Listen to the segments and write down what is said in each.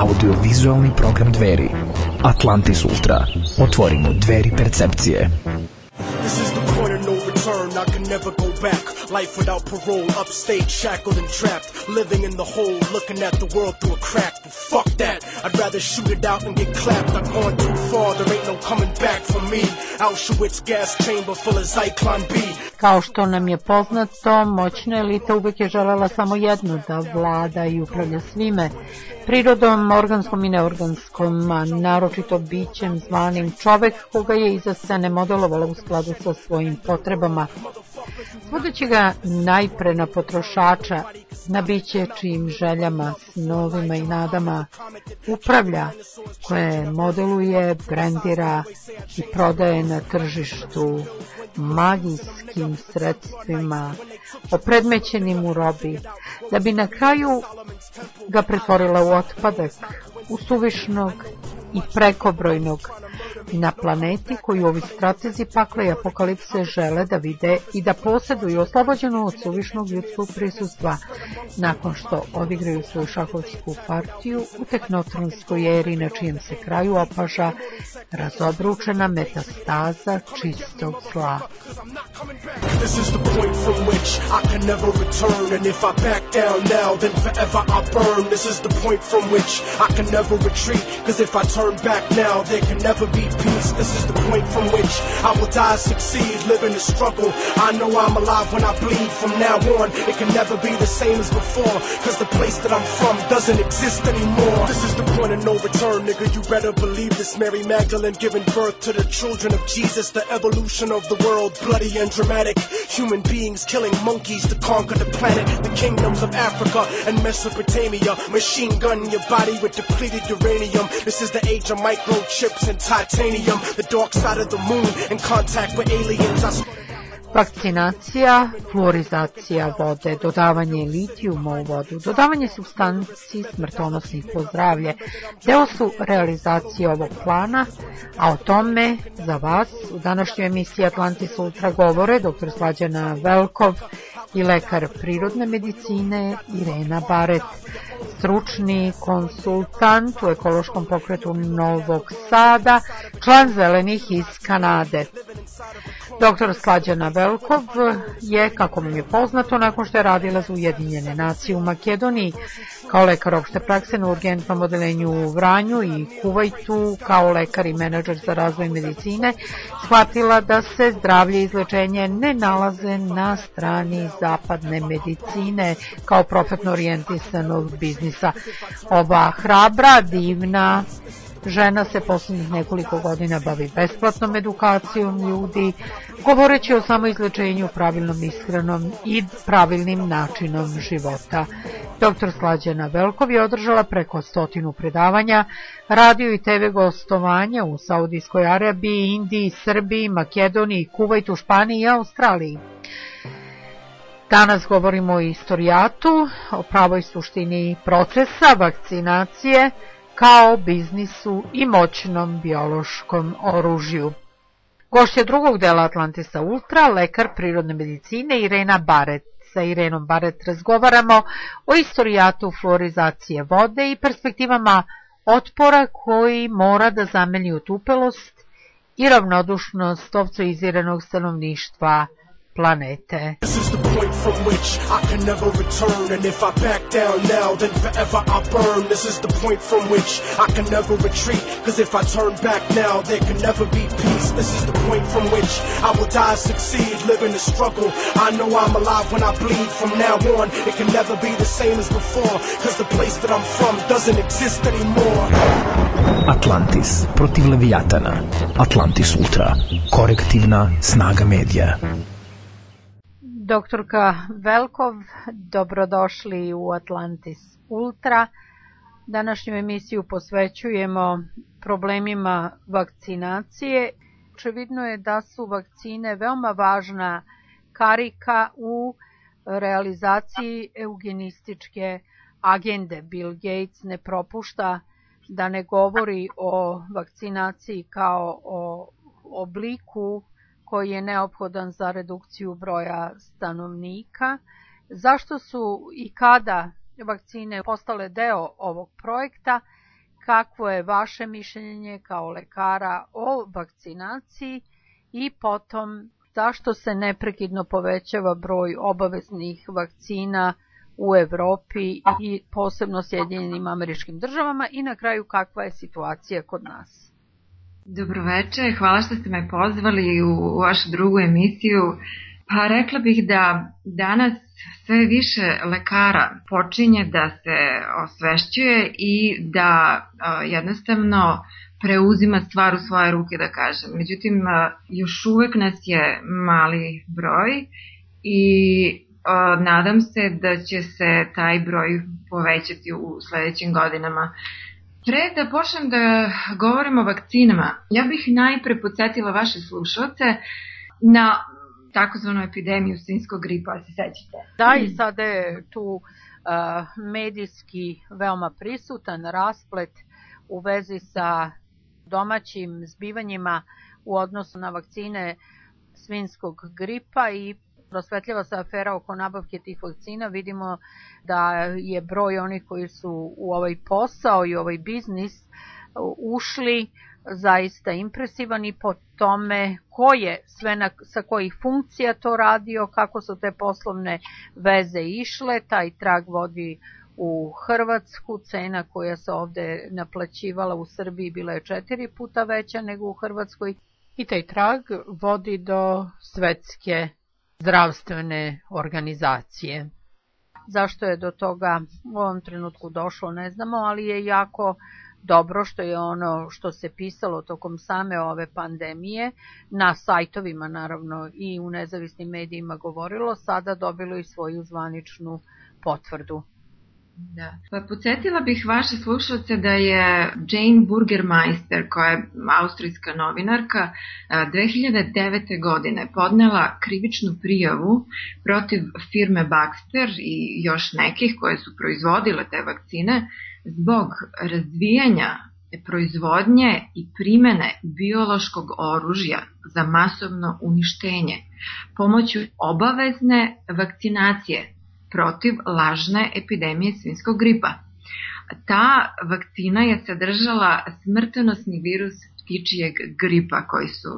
Audiovizualni program Dveri. Atlantis Ultra. Otvorimo dveri percepcije. This is the point of no return, I can never go back. Life without parole, upstage, shackled and trapped. Living in the hole, looking at the world through a crack. But fuck that, I'd rather shoot it out and get clapped. I've gone too far, there ain't no coming back for me. Auschwitz gas chamber full of Zyklon B. Kao što nam je poznato, moćna elita uvek je želela samo jedno, da vlada i upravlja svime. Prirodom, organskom i neorganskom, a naročito bićem zvanim čovek, koga je iza scene modelovala u skladu sa svojim potrebama. Svodeći ga najpre na potrošača, na biće čijim željama, snovima i nadama upravlja, koje modeluje, brendira i prodaje na tržištu magijskim sredstvima, opredmećenim u robi, da bi na kraju ga pretvorila u otpadak, u suvišnog i prekobrojnog, na planeti koju ovi stratezi pakla i apokalipse žele da vide i da posjeduju, oslobođenu od suvišnog ljudskog prisustva, nakon što odigraju svoju šahovsku partiju u tehnotronskoj eri, na čijem se kraju opaža razobručena metastaza čistog zla. This is the point from which I can never return, and if I back down now, then forever I burn. This is the point from which I can never retreat, cause if I turn back now, there can never be peace. This is the point from which I will die, succeed, live in the struggle. I know I'm alive when I bleed. From now on, it can never be the same as before, cause the place that I'm from doesn't exist anymore. This is the point of no return, nigga, you better believe this. Mary Magdalene giving birth to the children of Jesus. The evolution of the world, bloody and dramatic. Human beings killing monkeys to conquer the planet. The kingdoms of Africa and Mesopotamia. Machine gun your body with depleted uranium. This is the age of microchips and titanium. The dark side of the moon in contact with aliens. Vakcinacija, fluorizacija vode, dodavanje litijuma u vodu, dodavanje supstanci smrtonosnih po zdravlje, deo su realizacije ovog plana, a o tome za vas u današnjoj emisiji Atlantis Ultra govore dr. Slađana Velkov i lekar prirodne medicine Irena Baret, stručni konsultant u ekološkom pokretu Novog Sada, član Zelenih iz Kanade. Dr. Slađana Velkov je, kako vam je poznato, nakon što je radila za Ujedinjene nacije u Makedoniji, kao lekar opšte prakse na urgentnom odelenju u Vranju i Kuvajtu, kao lekar i menadžer za razvoj medicine, shvatila da se zdravlje i izlečenje ne nalaze na strani zapadne medicine kao profitno orijentisanog biznisa. Ova hrabra, divna žena se posljednjih nekoliko godina bavi besplatnom edukacijom ljudi, govoreći o samoizlečenju, pravilnom ishranom i pravilnim načinom života. Dr. Slađana Velkov je održala preko 100 predavanja, radio i TV gostovanja u Saudijskoj Arabiji, Indiji, Srbiji, Makedoniji, Kuvajtu, Španiji i Australiji. Danas govorimo o istorijatu, o pravoj suštini procesa vakcinacije, kao biznisu i moćnom biološkom oružju. Gošća drugog dela Atlantisa Ultra, lekar prirodne medicine Irena Baret. Sa Irenom Baret razgovaramo o istorijatu fluorizacije vode i perspektivama otpora koji mora da zameni otupelost i ravnodušnost ovcoiziranog stanovništva planete. This is the point from which I can never return, and if I back down now, then forever I burn. This is the point from which I can never retreat, cause if I turn back now, there can never be peace. This is the point from which I will die, succeed, live in the struggle. I know I'm alive when I bleed. From now on, it can never be the same as before, cause the place that I'm from doesn't exist anymore. Atlantis protiv Leviatana. Atlantis Ultra. Korektivna snaga medija. Doktorka Velkov, dobrodošli u Atlantis Ultra. Današnju emisiju posvećujemo problemima vakcinacije. Očevidno je da su vakcine veoma važna karika u realizaciji eugenističke agende. Bill Gates ne propušta da ne govori o vakcinaciji kao o obliku koji je neophodan za redukciju broja stanovnika. Zašto su i kada vakcine postale deo ovog projekta kakvo je vaše mišljenje kao lekara o vakcinaciji i potom zašto se neprekidno povećava broj obaveznih vakcina u Evropi i posebno Sjedinjenim Američkim Državama i na kraju kakva je situacija kod nas. Dobroveče, hvala što ste me pozvali u vašu drugu emisiju. Pa rekla bih da danas sve više lekara počinje da se osvešćuje i da jednostavno preuzima stvar u svoje ruke, da kažem. Međutim, još uvek nas je mali broj i nadam se da će se taj broj povećati u sledećim godinama. Pre da počnem da govorim o vakcinama, ja bih najpre podsjetila vaše slušalce na takozvanu epidemiju svinjskog gripa, se sećate? Da, i sada je tu medijski veoma prisutan rasplet u vezi sa domaćim zbivanjima u odnosu na vakcine svinjskog gripa i prosvetljava se afera oko nabavke tih vakcina. Vidimo da je broj onih koji su u ovaj posao i ovaj biznis ušli zaista impresivan i po tome ko je sve sa kojih funkcija to radio, kako su te poslovne veze išle. Taj trag vodi u Hrvatsku, cena koja se ovde naplaćivala u Srbiji bila je 4 puta veća nego u Hrvatskoj i taj trag vodi do Svetske zdravstvene organizacije. Zašto je do toga u ovom trenutku došlo ne znamo, ali je jako dobro što je ono što se pisalo tokom same ove pandemije na sajtovima naravno i u nezavisnim medijima govorilo, sada dobilo i svoju zvaničnu potvrdu. Da. Pa podsjetila bih vaše slušalce da je Jane Burgermeister, koja je austrijska novinarka, 2009. godine podnela krivičnu prijavu protiv firme Baxter i još nekih koje su proizvodile te vakcine zbog razvijanja proizvodnje i primene biološkog oružja za masovno uništenje pomoću obavezne vakcinacije protiv lažne epidemije svinjskog gripa. Ta vakcina je sadržala smrtonosni virus ptičijeg gripa koji su,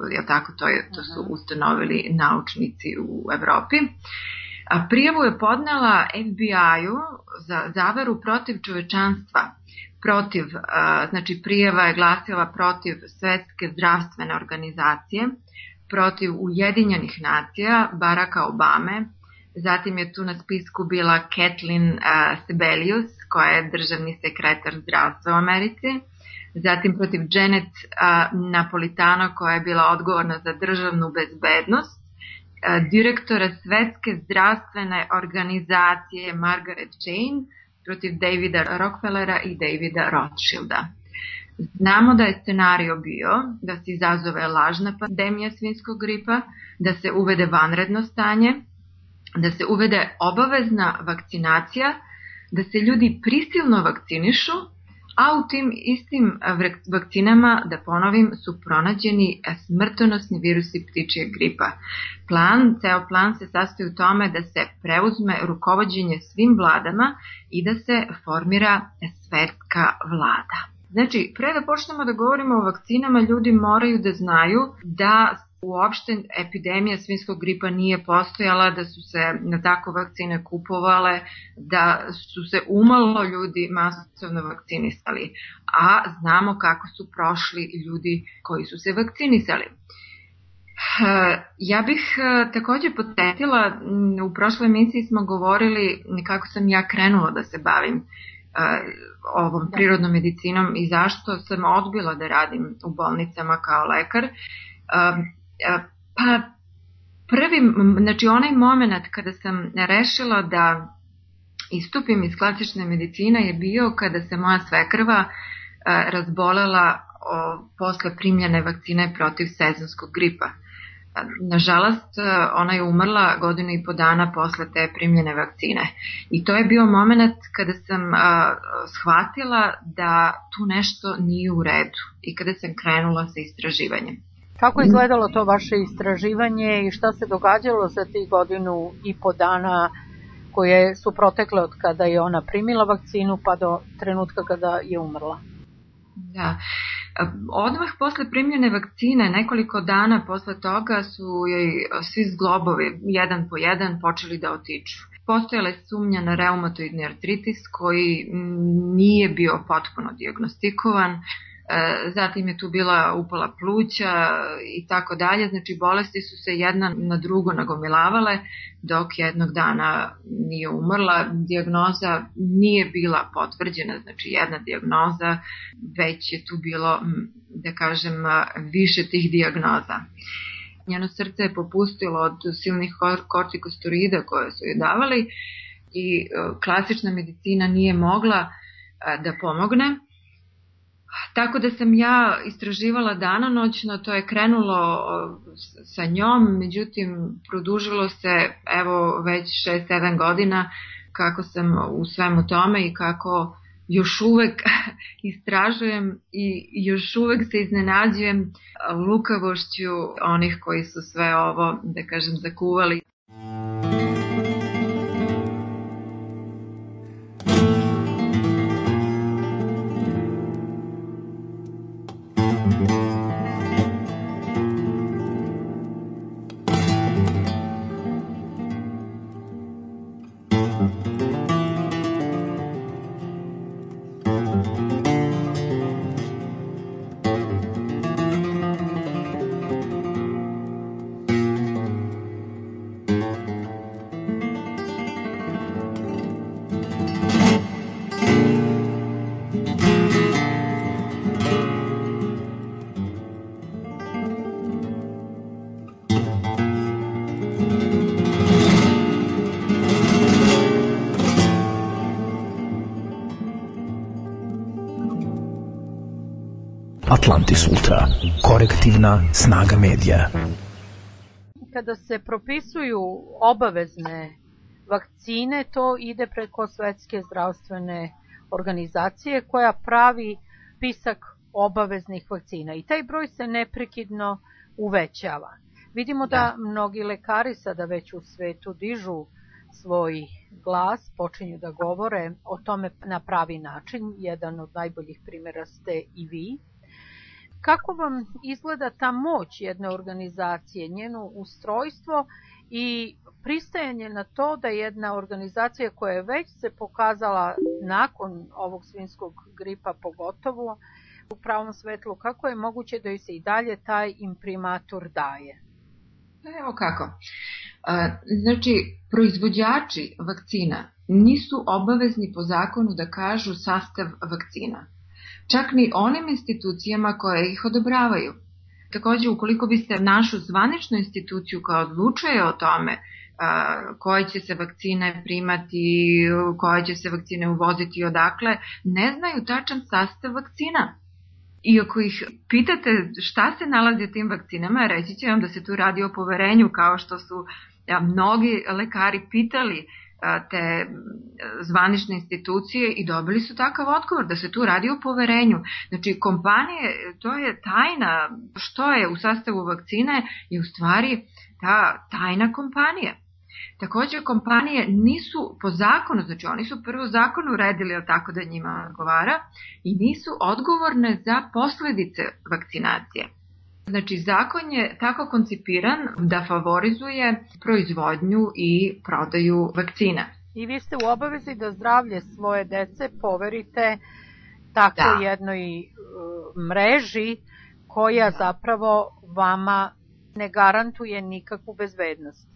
to su ustanovili naučnici u Evropi. Prijavu je podnela FBI-u za zavaru protiv čovečanstva. Znači prijava je glasila protiv Svetske zdravstvene organizacije, protiv Ujedinjenih nacija, Baracka Obame. Zatim je tu na spisku bila Kathleen Sebelius, koja je državni sekretar zdravstva u Americi. Zatim protiv Janet Napolitano, koja je bila odgovorna za državnu bezbednost. Direktora Svetske zdravstvene organizacije Margaret Chan, protiv Davida Rockefellera i Davida Rothschilda. Znamo da je scenario bio da se izazove lažna pandemija svinjskog gripa, da se uvede vanredno stanje, da se uvede obavezna vakcinacija, da se ljudi prisilno vakcinišu, a u tim istim vakcinama, da ponovim, su pronađeni smrtonosni virusi ptičijeg gripa. Ceo plan se sastoji u tome da se preuzme rukovođenje svim vladama i da se formira svetska vlada. Znači, pre da počnemo da govorimo o vakcinama, ljudi moraju da znaju da uopšte epidemija svinjskog gripa nije postojala, da su se na tako vakcine kupovale, da su se umalo ljudi masovno vakcinisali, a znamo kako su prošli ljudi koji su se vakcinisali. Ja bih takođe podsjetila, u prošloj emisiji smo govorili kako sam ja krenula da se bavim ovom prirodnom medicinom i zašto sam odbila da radim u bolnicama kao lekar. Pa znači onaj moment kada sam rešila da istupim iz klasične medicine je bio kada se moja svekrva razbolela posle primljene vakcine protiv sezonskog gripa. Nažalost, ona je umrla 1,5 godina posle te primljene vakcine. I to je bio moment kada sam shvatila da tu nešto nije u redu i kada sam krenula sa istraživanjem. Kako je izgledalo to vaše istraživanje i šta se događalo za tih 1,5 dana koje su protekle od kada je ona primila vakcinu pa do trenutka kada je umrla? Da. Odmah posle primljene vakcine, nekoliko dana posle toga su joj svi zglobovi, jedan po jedan, počeli da otiču. Postojala je sumnja na reumatoidni artritis koji nije bio potpuno dijagnostikovan, zatim je tu bila upala pluća i tako dalje, znači bolesti su se jedna na drugo nagomilavale dok jednog dana nije umrla. Dijagnoza nije bila potvrđena, znači jedna dijagnoza, već je tu bilo, da kažem, više tih dijagnoza. Njeno srce je popustilo od silnih kortikosteroida koje su joj davali i klasična medicina nije mogla da pomogne. Tako da sam ja istraživala danonoćno, to je krenulo sa njom, međutim produžilo se evo već 6-7 godina kako sam u svemu tome i kako još uvek istražujem i još uvek se iznenađujem lukavošću onih koji su sve ovo, da kažem, zakuvali. Atlantis Ultra, korektivna snaga medija. Kada se propisuju obavezne vakcine, to ide preko Svetske zdravstvene organizacije koja pravi spisak obaveznih vakcina i taj broj se neprekidno uvećava. Vidimo da mnogi lekari sada već u svetu dižu svoj glas, počinju da govore o tome na pravi način. Jedan od najboljih primjera ste i vi. Kako vam izgleda ta moć jedne organizacije, njeno ustrojstvo i pristajanje na to da jedna organizacija koja je već se pokazala nakon ovog svinjskog gripa pogotovo u pravom svetlu, kako je moguće da joj se i dalje taj imprimatur daje? Evo kako. Znači, proizvođači vakcina nisu obavezni po zakonu da kažu sastav vakcina. Čak ni onim institucijama koje ih odobravaju. Takođe, ukoliko biste našu zvaničnu instituciju koja odlučuje o tome koje će se vakcine primati, koje će se vakcine uvoziti i odakle, ne znaju tačan sastav vakcina. I ako ih pitate šta se nalazi u tim vakcinama, reći će vam da se tu radi o poverenju, kao što su mnogi lekari pitali te zvanične institucije i dobili su takav odgovor da se tu radi o poverenju. Znači, kompanije, to je tajna, što je u sastavu vakcine je u stvari ta tajna kompanija. Takođe, kompanije nisu po zakonu, znači oni su prvo zakon uredili tako da njima odgovara i nisu odgovorne za posledice vakcinacije. Znači, zakon je tako koncipiran da favorizuje proizvodnju i prodaju vakcina. I vi ste u obavezi da zdravlje svoje dece poverite tako jednoj mreži koja zapravo vama ne garantuje nikakvu bezbednost.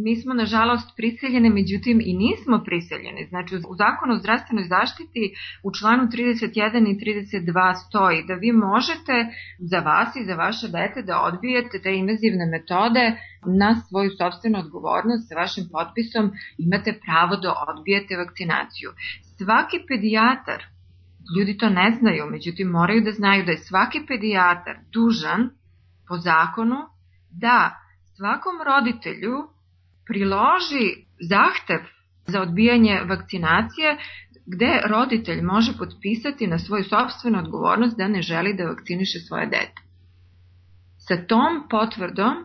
Mi smo, nažalost, prisiljeni, međutim i nismo prisiljeni. Znači, u zakonu o zdravstvenoj zaštiti u članu 31 i 32 stoji da vi možete za vas i za vaše dete da odbijete te invazivne metode na svoju sopstvenu odgovornost. Sa vašim potpisom imate pravo da odbijete vakcinaciju. Svaki pedijatar, ljudi to ne znaju, međutim moraju da znaju da je svaki pedijatar dužan po zakonu da svakom roditelju priloži zahtev za odbijanje vakcinacije gde roditelj može potpisati na svoju sopstvenu odgovornost da ne želi da vakciniše svoje dete. Sa tom potvrdom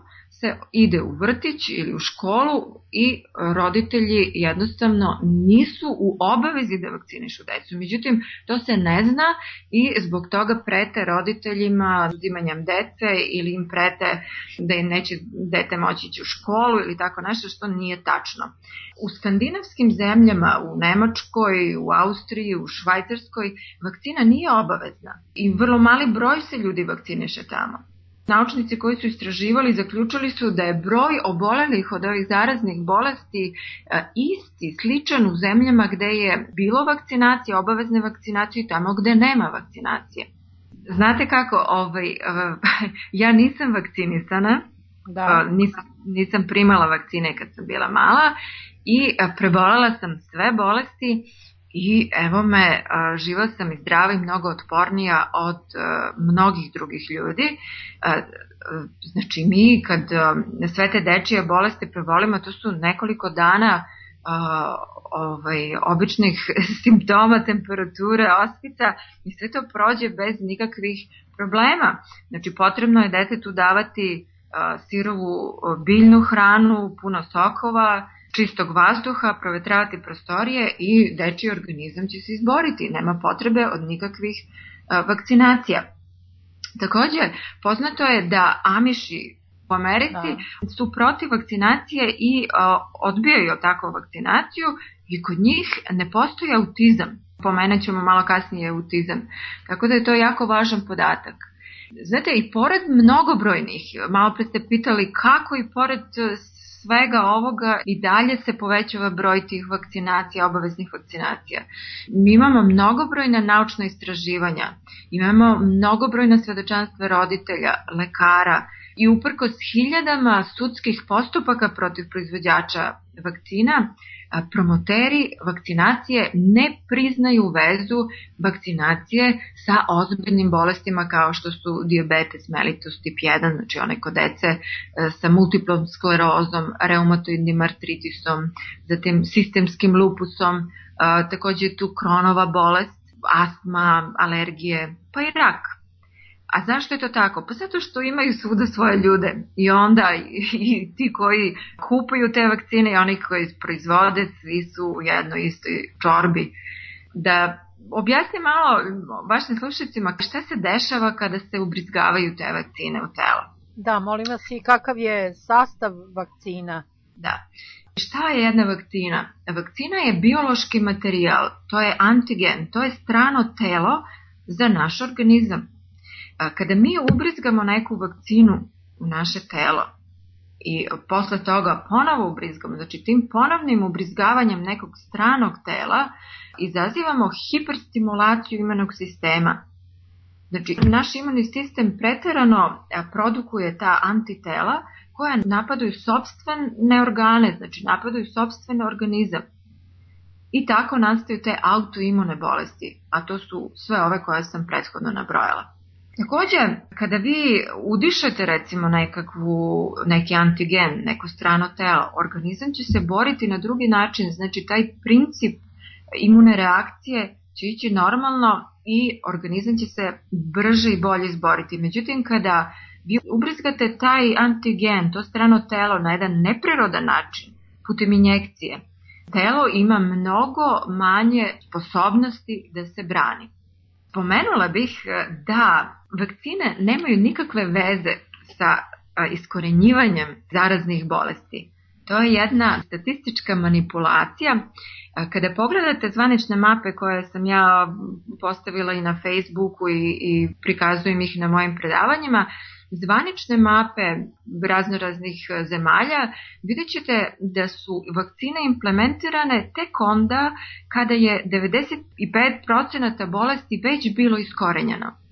se ide u vrtić ili u školu i roditelji jednostavno nisu u obavezi da vakcinišu decu. Međutim, to se ne zna i zbog toga prete roditeljima uzimanjem dece ili im prete da im neće dete moći ići u školu ili tako nešto, što nije tačno. U skandinavskim zemljama, u Nemačkoj, u Austriji, u Švajcarskoj, vakcina nije obavezna i vrlo mali broj se ljudi vakciniše tamo. Naučnici koji su istraživali zaključili su da je broj obolelih od ovih zaraznih bolesti isti, sličan u zemljama gde je bilo vakcinacije, obavezne vakcinacije i tamo gde nema vakcinacije. Znate kako, ja nisam vakcinisana, nisam primala vakcine kad sam bila mala i prebolela sam sve bolesti i evo me, živa sam i zdrava i mnogo otpornija od mnogih drugih ljudi. Znači mi kad sve te dečije bolesti prebolimo, to su nekoliko dana običnih simptoma, temperature, ospica i sve to prođe bez nikakvih problema. Znači potrebno je detetu davati sirovu biljnu hranu, puno sokova, čistog vazduha, provetravati prostorije i dečiji organizam će se izboriti. Nema potrebe od nikakvih vakcinacija. Također, poznato je da Amiši u Americi su protiv vakcinacije i odbijaju takvu vakcinaciju i kod njih ne postoji autizam. Pomenut ćemo malo kasnije autizam. Tako da je to jako važan podatak. Znate, i pored mnogobrojnih, malo pre ste pitali kako i pored svega ovoga i dalje se povećava broj tih vakcinacija, obaveznih vakcinacija. Mi imamo mnogobrojna naučna istraživanja, imamo mnogobrojna svedočanstva roditelja, lekara i uprkos hiljadama sudskih postupaka protiv proizvođača vakcina, promoteri vakcinacije ne priznaju vezu vakcinacije sa ozbiljnim bolestima kao što su dijabetes mellitus tip 1, znači one kod dece sa multiplom sklerozom, reumatoidnim artritisom, zatim sistemskim lupusom, također je tu Kronova bolest, astma, alergije, pa i rak. A zašto je to tako? Pa zato što imaju svuda svoje ljude i onda i ti koji kupuju te vakcine i oni koji proizvode, svi su u jednoj istoj čorbi. Da objasnim malo vašim slušateljima šta se dešava kada se ubrizgavaju te vakcine u telo. Da, molim vas i kakav je sastav vakcina? Da. Šta je jedna vakcina? Vakcina je biološki materijal, to je antigen, to je strano telo za naš organizam. Kada mi ubrizgamo neku vakcinu u naše telo i posle toga ponovo ubrizgamo, znači tim ponovnim ubrizgavanjem nekog stranog tela izazivamo hiperstimulaciju imunog sistema. Znači naš imunni sistem preterano produkuje ta antitela koja napadaju sopstvene organe, znači napadaju sopstveni organizam. I tako nastaju te autoimune bolesti, a to su sve ove koje sam prethodno nabrojala. Također, kada vi udišete recimo neki antigen, neko strano telo, organizam će se boriti na drugi način, znači taj princip imune reakcije će ići normalno i organizam će se brže i bolje izboriti. Međutim, kada vi ubrizgate taj antigen, to strano telo na jedan neprirodan način, putem injekcije, telo ima mnogo manje sposobnosti da se brani. Pomenula bih da vakcine nemaju nikakve veze sa iskorenjivanjem zaraznih bolesti. To je jedna statistička manipulacija. Kada pogledate zvanične mape koje sam ja postavila i na Facebooku i prikazujem ih na mojim predavanjima, zvanične mape raznoraznih zemalja, vidjet ćete da su vakcine implementirane tek onda kada je 95% bolesti već bilo iskorenjeno.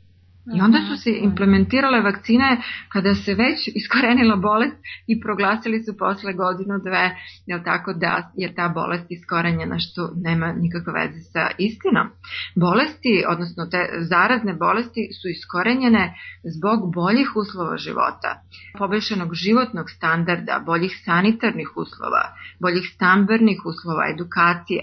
I onda su se implementirale vakcine kada se već iskorenila bolest i proglasili su posle godinu, dve, tako da je ta bolest iskorenjena, što nema nikakve veze sa istinom. Bolesti, odnosno te zarazne bolesti, su iskorenjene zbog boljih uslova života, poboljšanog životnog standarda, boljih sanitarnih uslova, boljih stambenih uslova, edukacije.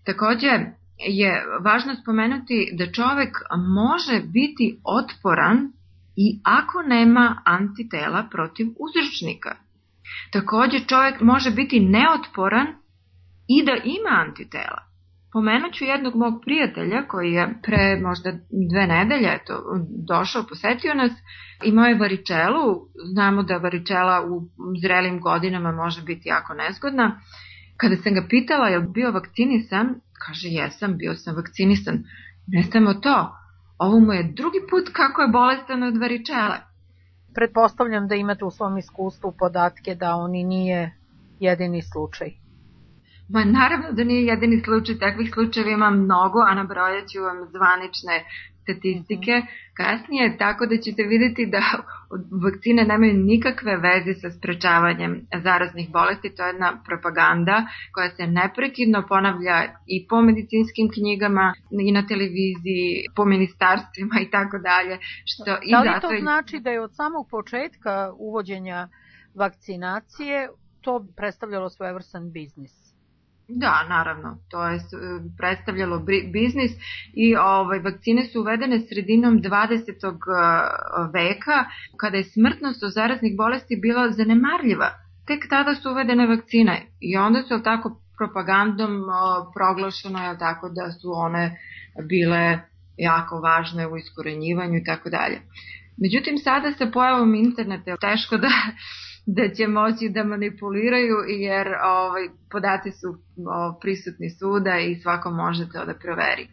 Također je važno spomenuti da čovjek može biti otporan i ako nema antitela protiv uzročnika. Takođe, čovjek može biti neotporan i da ima antitela. Pomenuću jednog mog prijatelja koji je pre možda 2 nedelje došao, posetio nas, imao je varičelu. Znamo da varičela u zrelim godinama može biti jako nezgodna. Kada sam ga pitala je li bio vakcinisan, kaže jesam, bio sam vakcinisan. Ne samo to, ovo mu je drugi put kako je bolestan od varičele. Pretpostavljam da imate u svom iskustvu podatke da oni nije jedini slučaj. Ma naravno da nije jedini slučaj, takvih slučajeva ima mnogo, a nabrojat ću vam zvanične statistike kasnije, tako da ćete vidjeti da vakcine nemaju nikakve veze sa sprečavanjem zaraznih bolesti. To je jedna propaganda koja se neprekidno ponavlja i po medicinskim knjigama, i na televiziji, po ministarstvima i tako dalje. Da li to znači da je od samog početka uvođenja vakcinacije to predstavljalo svojevrstan biznis? Da, naravno, to je predstavljalo biznis i vakcine su uvedene sredinom 20. veka, kada je smrtnost od zaraznih bolesti bila zanemarljiva. Tek tada su uvedene vakcine i onda su tako propagandom proglašeno je tako da su one bile jako važne u iskorenjivanju i tako dalje. Međutim, sada sa pojavom interneta teško da će moći da manipuliraju, jer podaci su prisutni svuda i svako može to da proveri.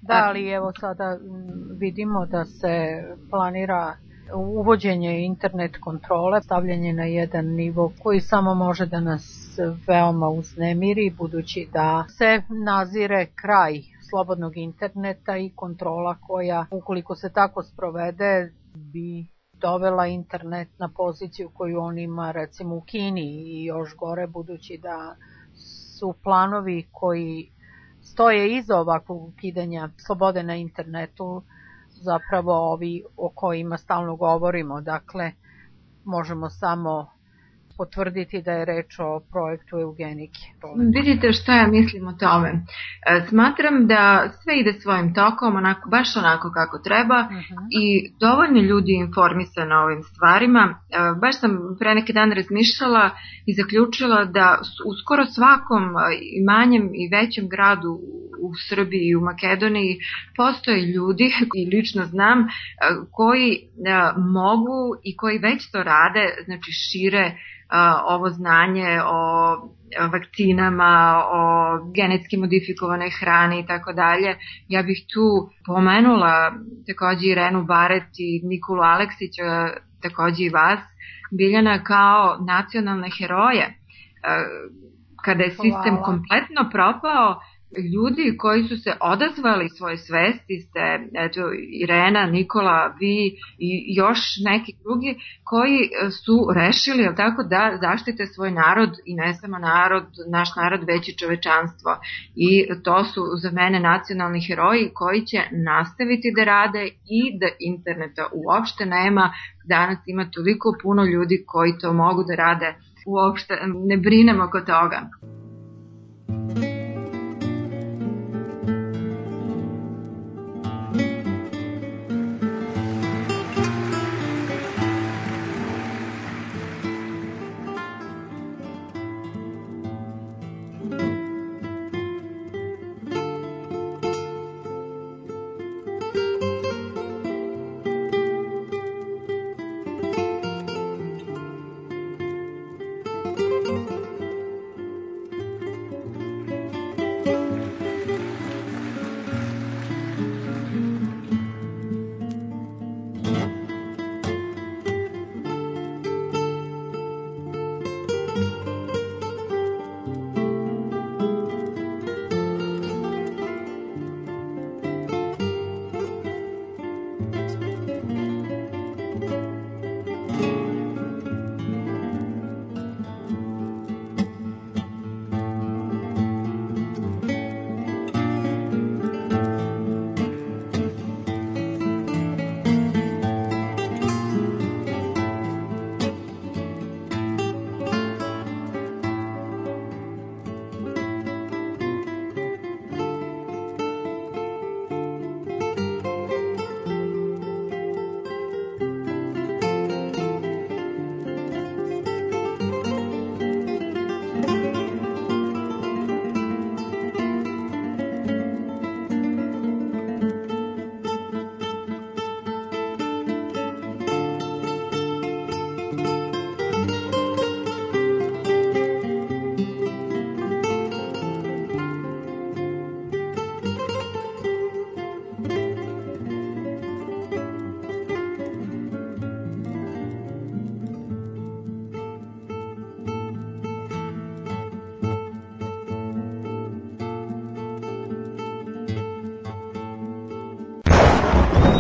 Da, ali evo sada vidimo da se planira uvođenje internet kontrole, stavljanje na jedan nivo koji samo može da nas veoma uznemiri, budući da se nazire kraj slobodnog interneta i kontrola koja, ukoliko se tako sprovede, bi dovela internet na poziciju koju on ima recimo u Kini i još gore, budući da su planovi koji stoje iza ovakvog ukidanja slobode na internetu zapravo ovi o kojima stalno govorimo. Dakle, možemo samo potvrditi da je reč o projektu eugenike. Vidite šta ja mislim o tome. Smatram da sve ide svojim tokom, baš onako kako treba i dovoljno ljudi informisano o ovim stvarima. Baš sam pre neki dan razmišljala i zaključila da u skoro svakom manjem i većem gradu u Srbiji i u Makedoniji postoje ljudi, i lično znam, koji mogu i koji već to rade, znači šire ovo znanje o vakcinama, o genetski modifikovanoj hrani i tako dalje. Ja bih tu pomenula takođe Irenu Baret i Nikolu Aleksića, takođe i vas, Biljana, kao nacionalne heroje. Kada je sistem kompletno propao, ljudi koji su se odazvali svoje svesti ste, eto, Irena, Nikola, vi i još neki drugi koji su rešili tako da zaštite svoj narod i ne samo narod, naš narod, već i čovečanstvo. I to su za mene nacionalni heroji koji će nastaviti da rade i da interneta uopšte nema. Danas ima toliko puno ljudi koji to mogu da rade. Uopšte ne brinemo oko toga.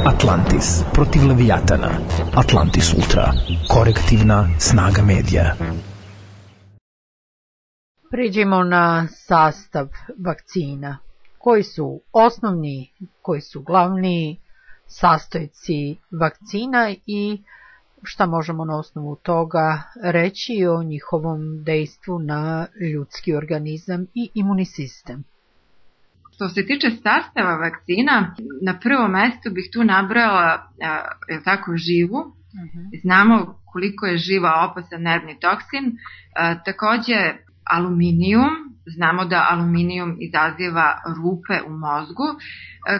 Atlantis protiv Leviatana. Atlantis Ultra. Korektivna snaga medija. Priđemo na sastav vakcina. Koji su osnovni, koji su glavni sastojci vakcina i šta možemo na osnovu toga reći o njihovom dejstvu na ljudski organizam i imunni sistem. Što se tiče sastava vakcina, na prvom mestu bih tu nabrojala živu. Znamo koliko je živa opasan nervni toksin. Takođe aluminijum. Znamo da aluminijum izaziva rupe u mozgu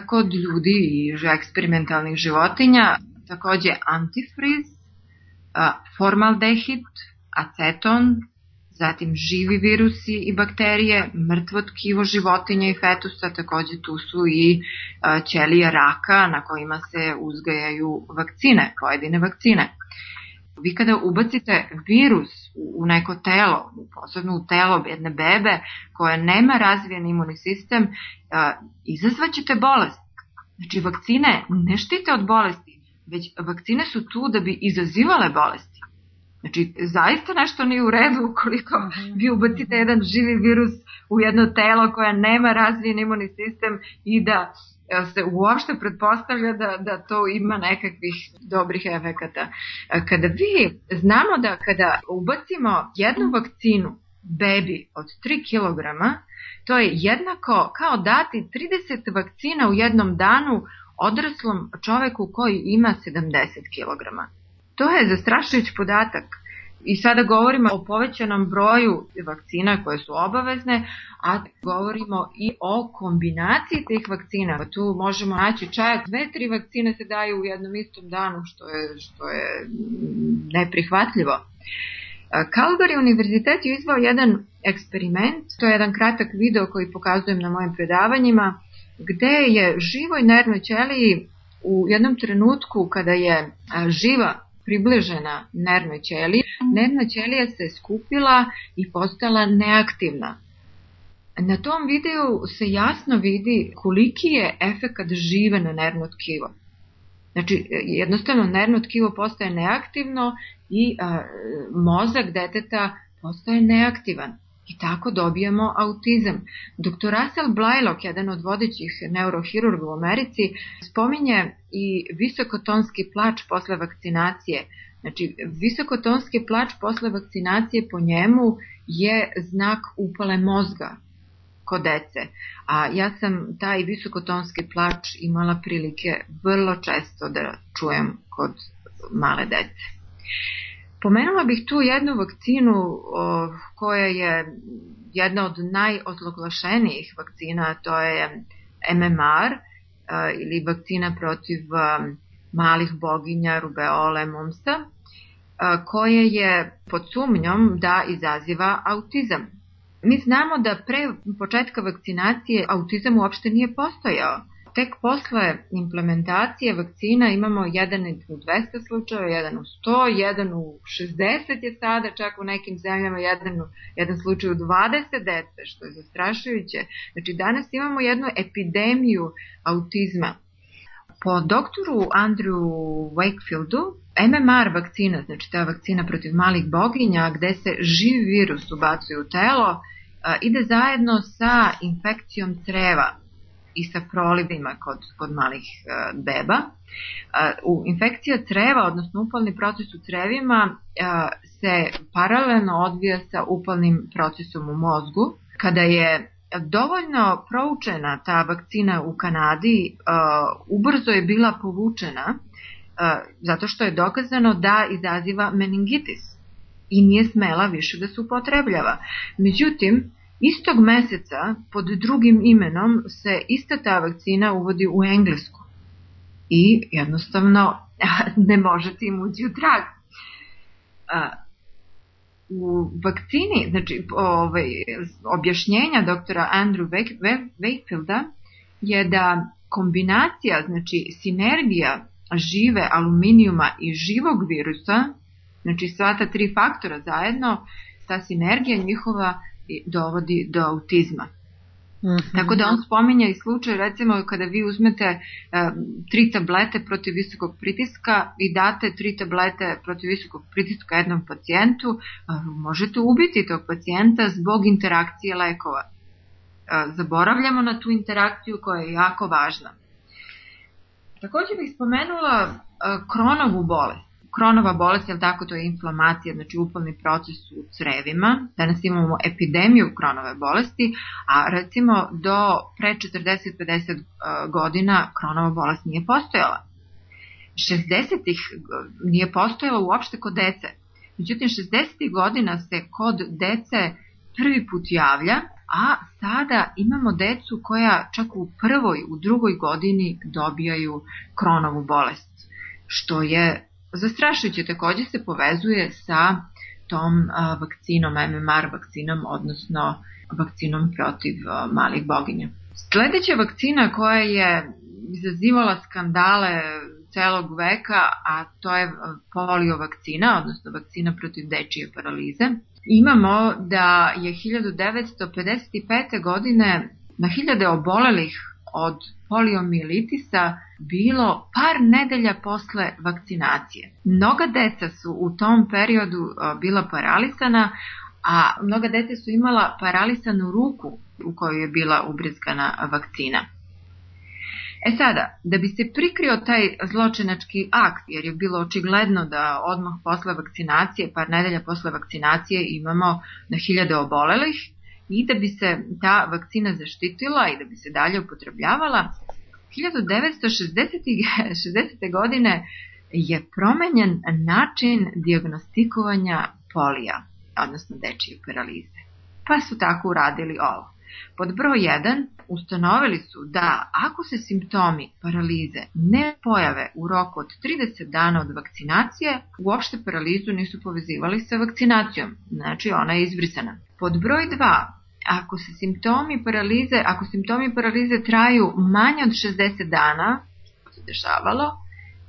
kod ljudi i eksperimentalnih životinja. Takođe antifriz, formaldehid, aceton, zatim živi virusi i bakterije, mrtvo tkivo životinja i fetusa, takođe tu su i ćelije raka na kojima se uzgajaju vakcine, pojedine vakcine. Vi kada ubacite virus u neko telo, posebno u telo jedne bebe koja nema razvijen imunni sistem, izazvaćete bolest. Znači vakcine ne štite od bolesti, već vakcine su tu da bi izazivale bolesti. Znači, zaista nešto nije u redu ukoliko vi ubacite jedan živi virus u jedno telo koje nema razvijen imunni sistem i da se uopšte pretpostavlja da to ima nekakvih dobrih efekata. Znamo da kada ubacimo jednu vakcinu bebi od 3 kg, to je jednako kao dati 30 vakcina u jednom danu odraslom čoveku koji ima 70 kg. To je zastrašujući podatak. I sada govorimo o povećanom broju vakcina koje su obavezne, a govorimo i o kombinaciji tih vakcina. Tu možemo naći čak 2-3 vakcine se daju u jednom istom danu, što je neprihvatljivo. Calgary univerzitet je izveo jedan eksperiment, to je jedan kratak video koji pokazujem na mojim predavanjima, gde je živoj nervnoj ćeliji u jednom trenutku kada je živa približena nervnoj ćeliji, nervna ćelija se skupila i postala neaktivna. Na tom videu se jasno vidi koliki je efekat žive na nervno tkivo. Znači, jednostavno nervno tkivo postaje neaktivno i mozak deteta postaje neaktivan. I tako dobijemo autizam. Dr. Russell Blaylock, jedan od vodećih neurohirurga u Americi, spominje i visokotonski plač posle vakcinacije. Znači, visokotonski plač posle vakcinacije po njemu je znak upale mozga kod dece. A ja sam taj visokotonski plač imala prilike vrlo često da čujem kod male dece. Pomenula bih tu jednu vakcinu koja je jedna od najozloglašenijih vakcina, to je MMR ili vakcina protiv malih boginja, rubeole, mumsa, koja je pod sumnjom da izaziva autizam. Mi znamo da pre početka vakcinacije autizam uopšte nije postojao. Tek posle implementacije vakcina imamo 1 u 200 slučajeva, 1 u 100, 1 u 60 je sada, čak u nekim zemljama jedan slučaj u 20 dece, što je zastrašujuće. Znači danas imamo jednu epidemiju autizma. Po doktoru Andrew Wakefieldu, MMR vakcina, znači ta vakcina protiv malih boginja, gde se živi virus ubacuje u telo, ide zajedno sa infekcijom creva i sa prolivima kod malih beba. Infekcija creva, odnosno upalni proces u crevima, se paralelno odvija sa upalnim procesom u mozgu. Kada je dovoljno proučena ta vakcina u Kanadi, ubrzo je bila povučena, zato što je dokazano da izaziva meningitis i nije smela više da se upotrebljava. Međutim, istog meseca pod drugim imenom se ista ta vakcina uvodi u Englesku i jednostavno ne možete im ući u trag. U vakcini, znači objašnjenja doktora Andrew Wakefielda je da kombinacija, znači sinergija žive aluminijuma i živog virusa, znači sva ta 3 faktora zajedno, ta sinergija njihova dovodi do autizma. Tako da on spominja i slučaj, recimo kada vi uzmete 3 tablete protiv visokog pritiska i date 3 tablete protiv visokog pritiska jednom pacijentu, možete ubiti tog pacijenta zbog interakcije lekova. Zaboravljamo na tu interakciju koja je jako važna. Također bih spomenula Crohnovu bolest. Crohnova bolest, je tako, to je inflamacija, znači upalni proces u crevima. Danas imamo epidemiju Crohnove bolesti, a recimo do pre 40-50 godina Crohnova bolest nije postojala. 60-ih nije postojala uopšte kod dece. Međutim, 60-ih godina se kod dece prvi put javlja, a sada imamo decu koja čak u prvoj, u drugoj godini dobijaju Crohnovu bolest, što je zastrašujuće. Također se povezuje sa tom vakcinom, MMR vakcinom, odnosno vakcinom protiv malih boginja. Sljedeća vakcina koja je izazivala skandale celog veka, a to je polio vakcina, odnosno vakcina protiv dečije paralize. Imamo da je 1955. godine na hiljade obolelih od poliomijelitisa bilo par nedelja posle vakcinacije. Mnoga deca su u tom periodu bila paralisana, a mnoga deca su imala paralisanu ruku u kojoj je bila ubrizgana vakcina. Sada, da bi se prikrio taj zločinački akt, jer je bilo očigledno da odmah posle vakcinacije, par nedelja posle vakcinacije imamo na hiljade obolelih, i da bi se ta vakcina zaštitila i da bi se dalje upotrebljavala, 1960. godine je promenjen način dijagnostikovanja polija, odnosno dečije paralize. Pa su tako uradili ovo. Pod broj 1 ustanovili su da ako se simptomi paralize ne pojave u roku od 30 dana od vakcinacije, uopšte paralizu nisu povezivali sa vakcinacijom, znači ona je izbrisana. Pod broj 2, ako simptomi paralize traju manje od 60 dana, što se dešavalo,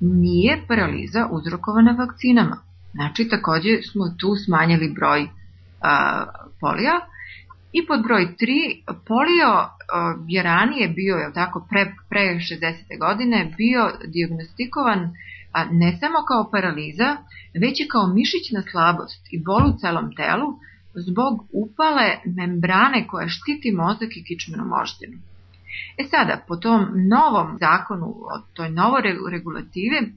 nije paraliza uzrokovana vakcinama. Znači također smo tu smanjili broj polija. I pod broj 3, polio je ranije bio, je tako, pre 60. godine bio dijagnostikovan ne samo kao paraliza, već i kao mišićna slabost i bol u celom telu zbog upale membrane koja štiti mozak i kičmenu moždinu. Sada, po tom novom zakonu, toj novoj regulativi,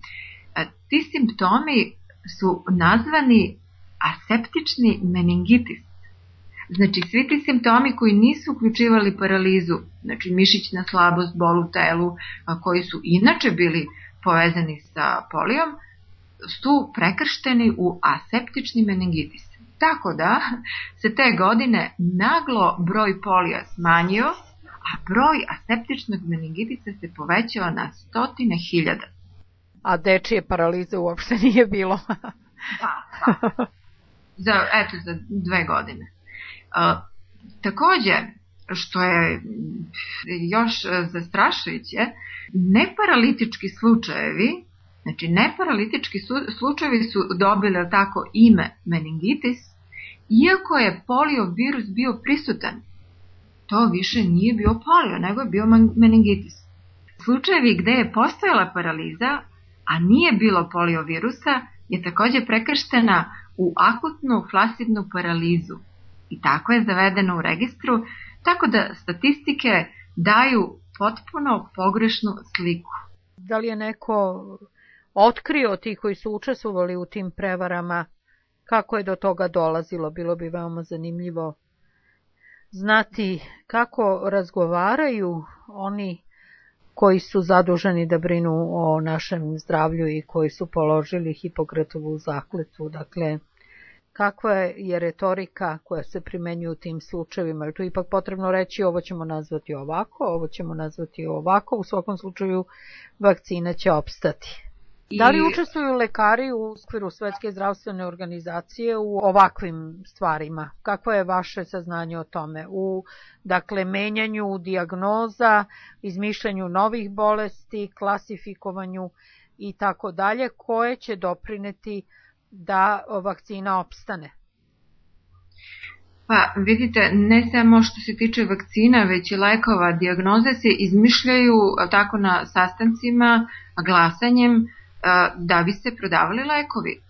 ti simptomi su nazvani aseptični meningitis. Znači, svi ti simptomi koji nisu uključivali paralizu, znači mišićna slabost, bol u telu, koji su inače bili povezani sa polijom, su prekršteni u aseptični meningitis. Tako da se te godine naglo broj polija smanjio, a broj aseptičnog meningitisa se povećao na 100.000. A dečije paralize uopšte nije bilo. Da. Za 2 godine. Također, što je još zastrašujuće, neparalitički slučajevi, znači neparalitički slučajevi su dobili tako ime meningitis, iako je poliovirus bio prisutan. To više nije bio polio, nego je bio meningitis. Slučajevi gdje je postojala paraliza, a nije bilo poliovirusa, je također prekrštena u akutnu flasidnu paralizu. I tako je zavedeno u registru, tako da statistike daju potpuno pogrešnu sliku. Da li je neko otkrio ti koji su učestvovali u tim prevarama, kako je do toga dolazilo? Bilo bi veoma zanimljivo znati kako razgovaraju oni koji su zaduženi da brinu o našem zdravlju i koji su položili Hipokratovu zakletvu. Dakle, kakva je retorika koja se primenjuje u tim slučajevima? Je tu ipak potrebno reći ovo ćemo nazvati ovako, ovo ćemo nazvati ovako, u svakom slučaju vakcina će opstati. Da li učestvuju lekari u okviru Svetske zdravstvene organizacije u ovakvim stvarima? Kakvo je vaše saznanje o tome? U, dakle, menjanju dijagnoza, izmišljanju novih bolesti, klasifikovanju i tako dalje, koje će doprineti da vakcina opstane? Pa vidite, ne samo što se tiče vakcina, već i lekova, dijagnoze se izmišljaju tako na sastancima, glasanjem, da bi se prodavali lekovi.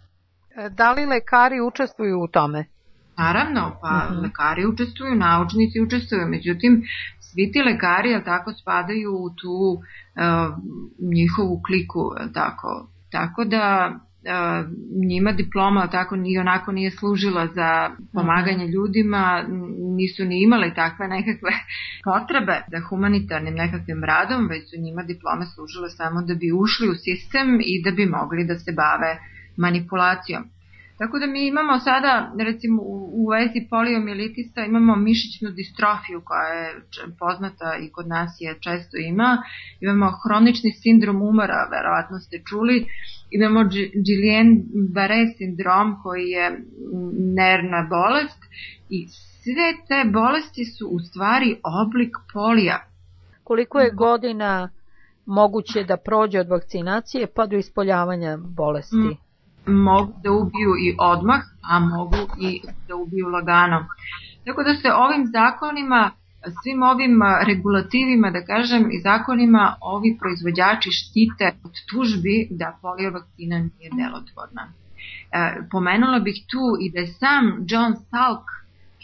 Da li lekari učestvuju u tome? Naravno, pa lekari učestvuju, naučnici učestvuju, međutim, svi ti lekari tako spadaju u tu njihovu kliku, tako da njima diploma tako ni onako nije služila za pomaganje ljudima, nisu ni imali takve nekakve potrebe za humanitarnim nekakvim radom, već su njima diplome služile samo da bi ušli u sistem i da bi mogli da se bave manipulacijom. Tako da mi imamo sada, recimo u vezi poliomijelitisa, imamo mišićnu distrofiju koja je poznata i kod nas je često imamo hronični sindrom umora, verovatno ste čuli, imamo Guillain-Barré sindrom koji je nervna bolest i sve te bolesti su u stvari oblik polija. Koliko je godina moguće da prođe od vakcinacije pa do ispoljavanja bolesti? Mogu da ubiju i odmah, a mogu i da ubiju lagano. Tako da se ovim zakonima, svim ovim regulativima, da kažem, i zakonima ovi proizvođači štite od tužbi da polio vakcina nije delotvorna. Pomenula bih tu i da je sam John Salk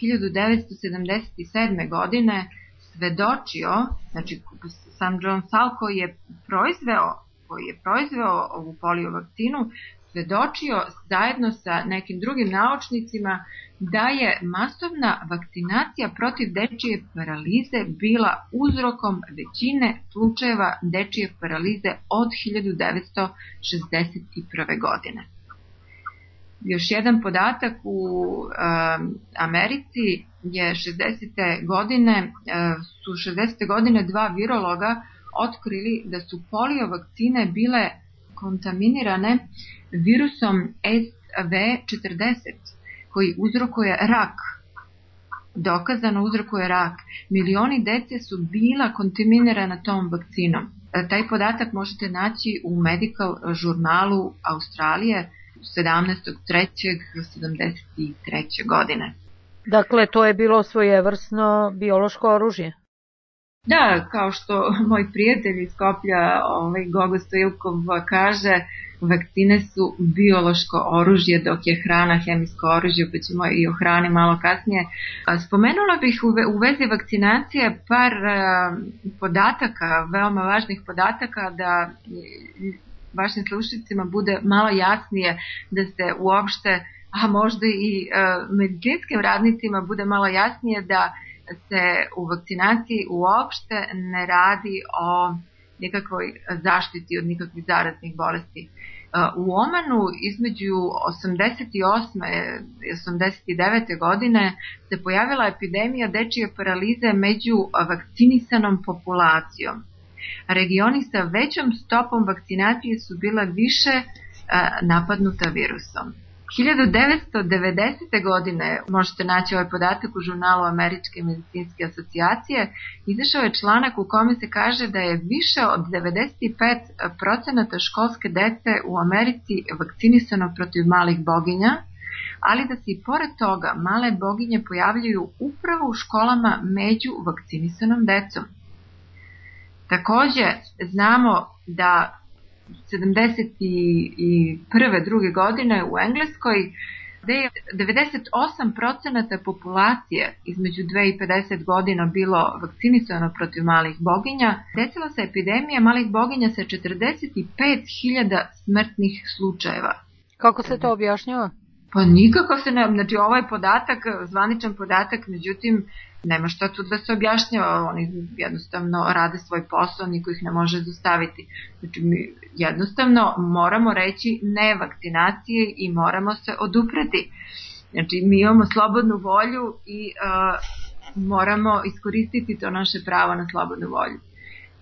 1977. godine svedočio, znači sam John Salk koji je proizveo ovu polio vakcinu, svedočio zajedno sa nekim drugim naučnicima da je masovna vakcinacija protiv dečije paralize bila uzrokom većine slučajeva dečije paralize od 1961. godine. Još jedan podatak, u Americi je 60. godine dva virologa otkrili da su polio vakcine bile kontaminirane virusom SV40 koji uzrokuje rak. Dokazano uzrokuje rak. Milioni dece su bila kontaminirana tom vakcinom. Taj podatak možete naći u Medical žurnalu Australije 17.3.1973. godine. Dakle, to je bilo svojevrsno biološko oružje? Da, kao što moj prijatelj iz Skoplja, Gogo Stojilkov, kaže, vakcine su biološko oružje, dok je hrana hemijsko oružje, pa ćemo i o hrani malo kasnije. Spomenula bih u vezi vakcinacije par podataka, veoma važnih podataka, da vašim slušateljima bude malo jasnije, da se uopšte, a možda i medicinskim radnicima bude malo jasnije da se u vakcinaciji uopšte ne radi o nikakvoj zaštiti od nikakvih zaraznih bolesti. U Omanu između 88. i 89. godine se pojavila epidemija dečije paralize među vakcinisanom populacijom. Regioni sa većom stopom vakcinacije su bila više napadnuta virusom. 1990. godine, možete naći ovaj podatak u žurnalu Američke medicinske asocijacije, izašao je članak u kome se kaže da je više od 95% školske dece u Americi vakcinisano protiv malih boginja, ali da se i pored toga male boginje pojavljuju upravo u školama među vakcinisanom decom. Takođe, znamo da 71. druge godine u Engleskoj, gde je 98% populacije između 2 i 50 godina bilo vakcinisano protiv malih boginja, desila se epidemija malih boginja sa 45.000 smrtnih slučajeva. Kako se to objašnjava? Pa nikako se ne, znači ovaj podatak, zvaničan podatak, međutim, nema šta tu da se objašnjava, oni jednostavno rade svoj posao, niko ih ne može zaustaviti. Znači mi jednostavno moramo reći ne vakcinaciji i moramo se odupreti. Znači mi imamo slobodnu volju i moramo iskoristiti to naše pravo na slobodnu volju.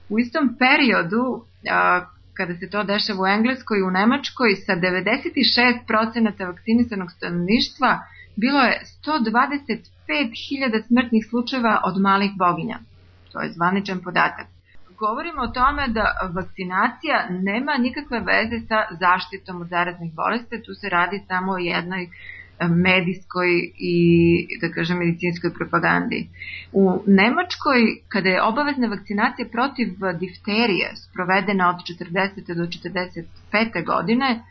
U istom periodu, kada se to dešava u Engleskoj i u Nemačkoj, sa 96% vakcinisanog stanovništva bilo je 125.000 smrtnih slučajeva od malih boginja. To je zvaničan podatak. Govorimo o tome da vakcinacija nema nikakve veze sa zaštitom od zaraznih bolesti, tu se radi samo o jednoj medijskoj i, da kažem, medicinskoj propagandi. U Nemačkoj, kada je obavezna vakcinacija protiv difterije sprovedena od 40. do 45. godine,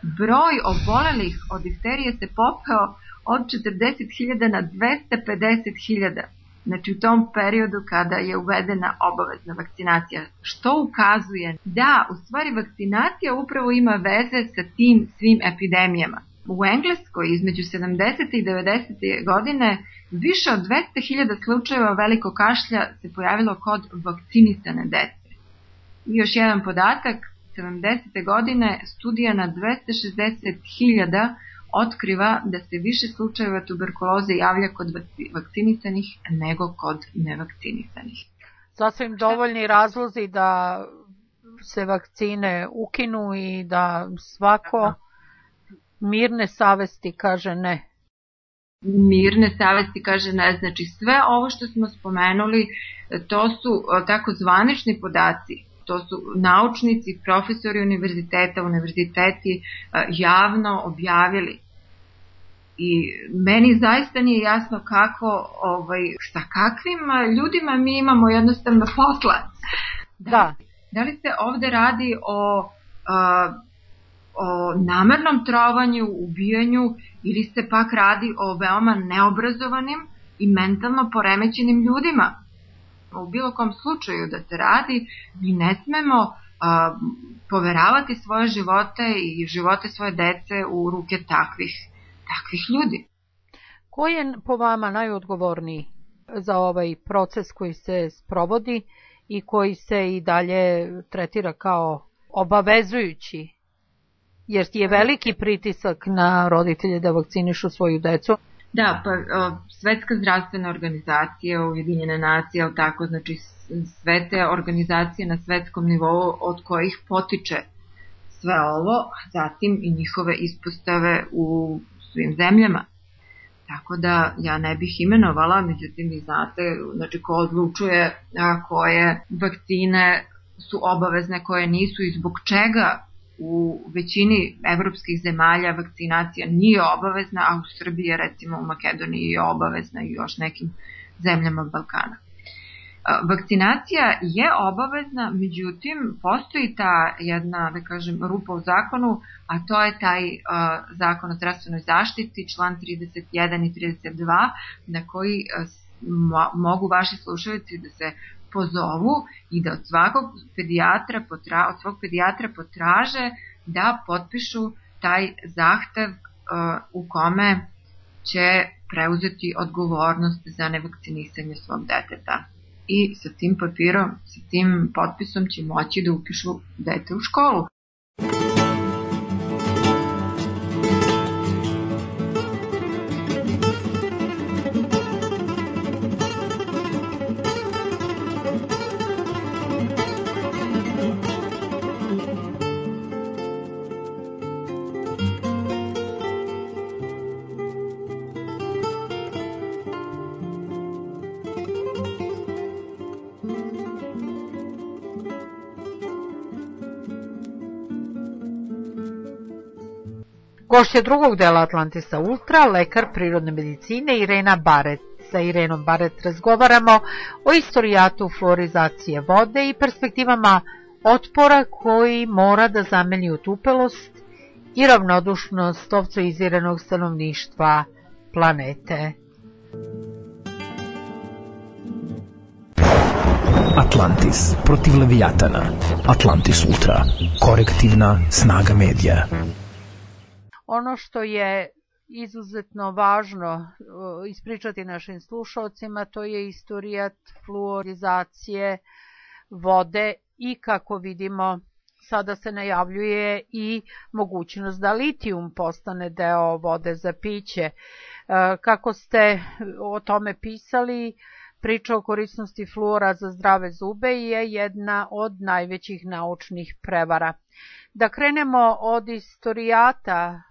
broj obolelih od difterije se popeo od 40.000 na 250.000. Znači u tom periodu kada je uvedena obavezna vakcinacija, što ukazuje da u stvari vakcinacija upravo ima veze sa tim svim epidemijama. U Engleskoj između 70. i 90. godine više od 200.000 slučajeva velikog kašlja se pojavilo kod vakcinisane dece. I još jedan podatak, 70. godine studija na 260.000 otkriva da se više slučajeva tuberkuloze javlja kod vakcinisanih nego kod nevakcinisanih. Sasvim dovoljni razlozi da se vakcine ukinu i da svako mirne savesti kaže ne. Mirne savesti kaže ne, znači sve ovo što smo spomenuli, to su tako zvanični podaci, to su naučnici, profesori univerziteti javno objavili. I meni zaista nije jasno kako, sa kakvim ljudima mi imamo jednostavno posla. Da li se ovde radi o namernom trovanju, ubijanju, ili se pak radi o veoma neobrazovanim i mentalno poremećenim ljudima? U bilo kom slučaju da se radi, mi ne smemo poveravati svoje živote i živote svoje dece u ruke takvih ljudi. Ko je po vama najodgovorniji za ovaj proces koji se sprovodi i koji se i dalje tretira kao obavezujući? Jer je veliki pritisak na roditelje da vakcinišu svoju decu. Da, pa Svetska zdravstvena organizacija, Ujedinjene nacije, ali tako, znači sve te organizacije na svetskom nivou od kojih potiče sve ovo, zatim i njihove ispostave u svim zemljama. Tako da ja ne bih imenovala, međutim vi znate, znači ko odlučuje koje vakcine su obavezne, koje nisu i zbog čega u većini evropskih zemalja vakcinacija nije obavezna, a u Srbiji, recimo u Makedoniji je obavezna i još nekim zemljama Balkana. Vakcinacija je obavezna, međutim postoji ta jedna, da kažem, rupa u zakonu, a to je taj zakon o zdravstvenoj zaštiti, član 31 i 32, na koji mogu vaši slušalci da se pozovu i da od svog pedijatra potraže da potpišu taj zahtev u kome će preuzeti odgovornost za nevakcinisanje svog deteta. I sa tim papirom, sa tim potpisom će moći da upišu dete u školu. Gošća drugog dela Atlantisa Ultra, lekar prirodne medicine Irena Baret. Sa Irenom Baret razgovaramo o istorijatu fluorizacije vode i perspektivama otpora koji mora da zameni otupelost i ravnodušnost ovcoiziranog stanovništva planete. Atlantis protiv Levijatana. Atlantis Ultra. Korektivna snaga medija. Ono što je izuzetno važno ispričati našim slušalcima, to je istorijat fluorizacije vode i kako vidimo sada se najavljuje i mogućnost da litijum postane deo vode za piće. Kako ste o tome pisali, priča o korisnosti fluora za zdrave zube je jedna od najvećih naučnih prevara. Da krenemo od istorijata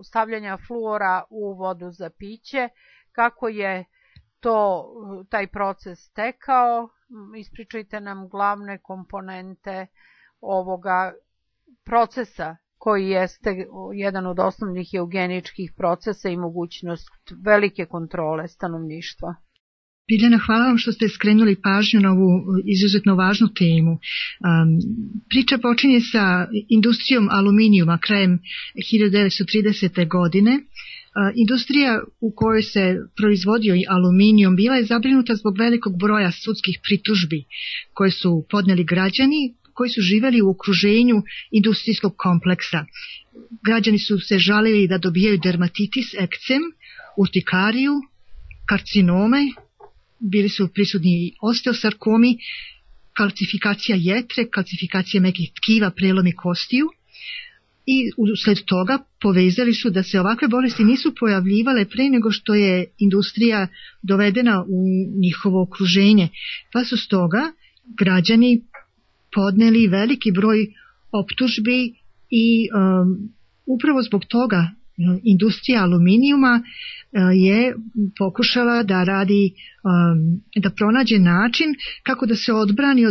stavljanja fluora u vodu za piće, kako je taj proces tekao, ispričajte nam glavne komponente ovoga procesa koji jeste jedan od osnovnih eugeničkih procesa i mogućnost velike kontrole stanovništva. Biljana, hvala vam što ste skrenuli pažnju na ovu izuzetno važnu temu. Priča počinje sa industrijom aluminijuma krajem 1930. godine. Industrija u kojoj se proizvodio i aluminijum bila je zabrinuta zbog velikog broja sudskih pritužbi koje su podneli građani koji su živjeli u okruženju industrijskog kompleksa. Građani su se žalili da dobijaju dermatitis, ekcem, urtikariju, karcinome, bili su prisutni i osteosarkomi, kalcifikacija jetre, kalcifikacija mekih tkiva, prelomi kostiju. I usled toga povezali su da se ovakve bolesti nisu pojavljivale pre nego što je industrija dovedena u njihovo okruženje. Pa su stoga građani podneli veliki broj optužbi i upravo zbog toga industrija aluminijuma je pokušala da radi, da pronađe način kako da se odbrani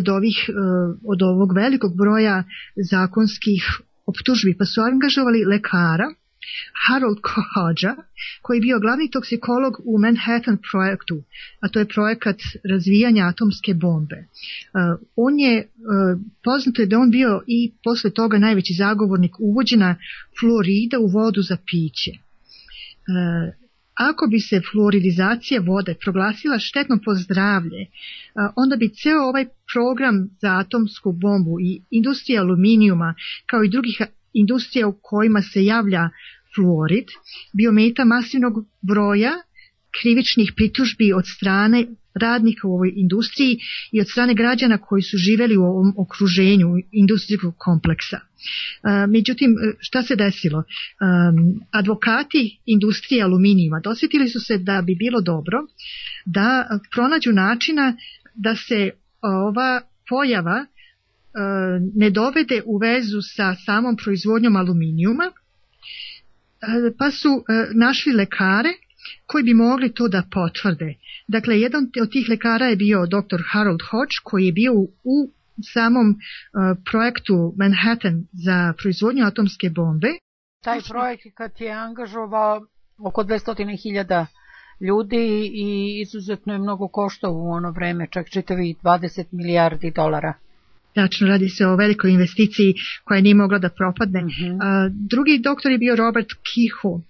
od ovog velikog broja zakonskih optužbi, pa su angažovali lekara Harold Hodgea, koji je bio glavni toksikolog u Manhattan projektu, a to je projekat razvijanja atomske bombe. On je, poznato je da on bio i posle toga najveći zagovornik uvođenja fluorida u vodu za piće. Ako bi se fluoridizacija vode proglasila štetnom po zdravlje, onda bi ceo ovaj program za atomsku bombu i industrija aluminijuma, kao i drugih industrija u kojima se javlja fluorid, bio meta masivnog broja krivičnih pritužbi od strane radnika u ovoj industriji i od strane građana koji su živjeli u ovom okruženju industrijskog kompleksa. Međutim, šta se desilo? Advokati industrije aluminijuma dosjetili su se da bi bilo dobro da pronađu načina da se ova pojava ne dovede u vezu sa samom proizvodnjom aluminijuma, pa su našli lekare koji bi mogli to da potvrde. Dakle, jedan od tih lekara je bio dr. Harold Hodge, koji je bio u samom projektu Manhattan za proizvodnju atomske bombe. Taj projekat je angažovao oko 200.000 ljudi i izuzetno je mnogo koštao u ono vreme, čak čitavi 20 milijardi dolara. Tačno, radi se o velikoj investiciji koja nije mogla da propadne. Drugi doktor je bio Robert Kehoe,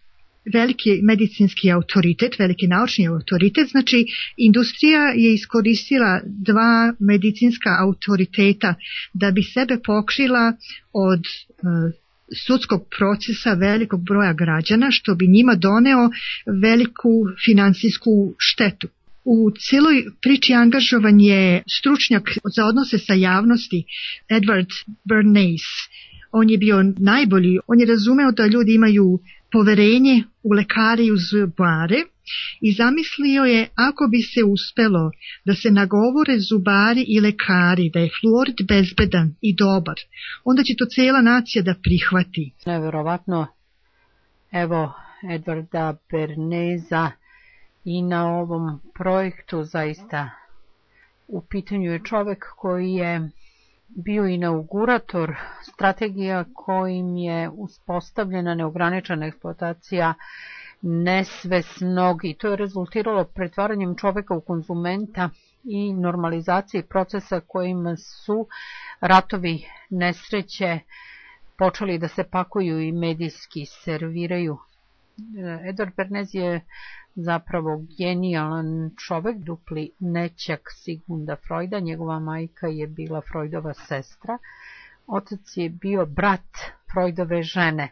veliki medicinski autoritet, veliki naučni autoritet. Znači, industrija je iskoristila dva medicinska autoriteta da bi sebe pokrila od sudskog procesa velikog broja građana, što bi njima doneo veliku finansijsku štetu. U cijeloj priči angažovan je stručnjak za odnose sa javnosti Edward Bernays. On je bio najbolji, on je razumeo da ljudi imaju poverenje u lekare i u zubare i zamislio je ako bi se uspelo da se nagovore zubari i lekari da je fluorid bezbedan i dobar, onda će to cijela nacija da prihvati. Neverovatno, evo Edwarda Bernaysa i na ovom projektu zaista u pitanju je čovjek koji je bio inaugurator strategija kojim je uspostavljena neograničena eksploatacija nesvesnog i to je rezultiralo pretvaranjem čovjeka u konzumenta i normalizaciji procesa kojima su ratovi, nesreće počeli da se pakuju i medijski serviraju. Edward Bernays je zapravo genijalan čovjek, dupli nećak Sigmunda Freuda, njegova majka je bila Freudova sestra, otac je bio brat Freudove žene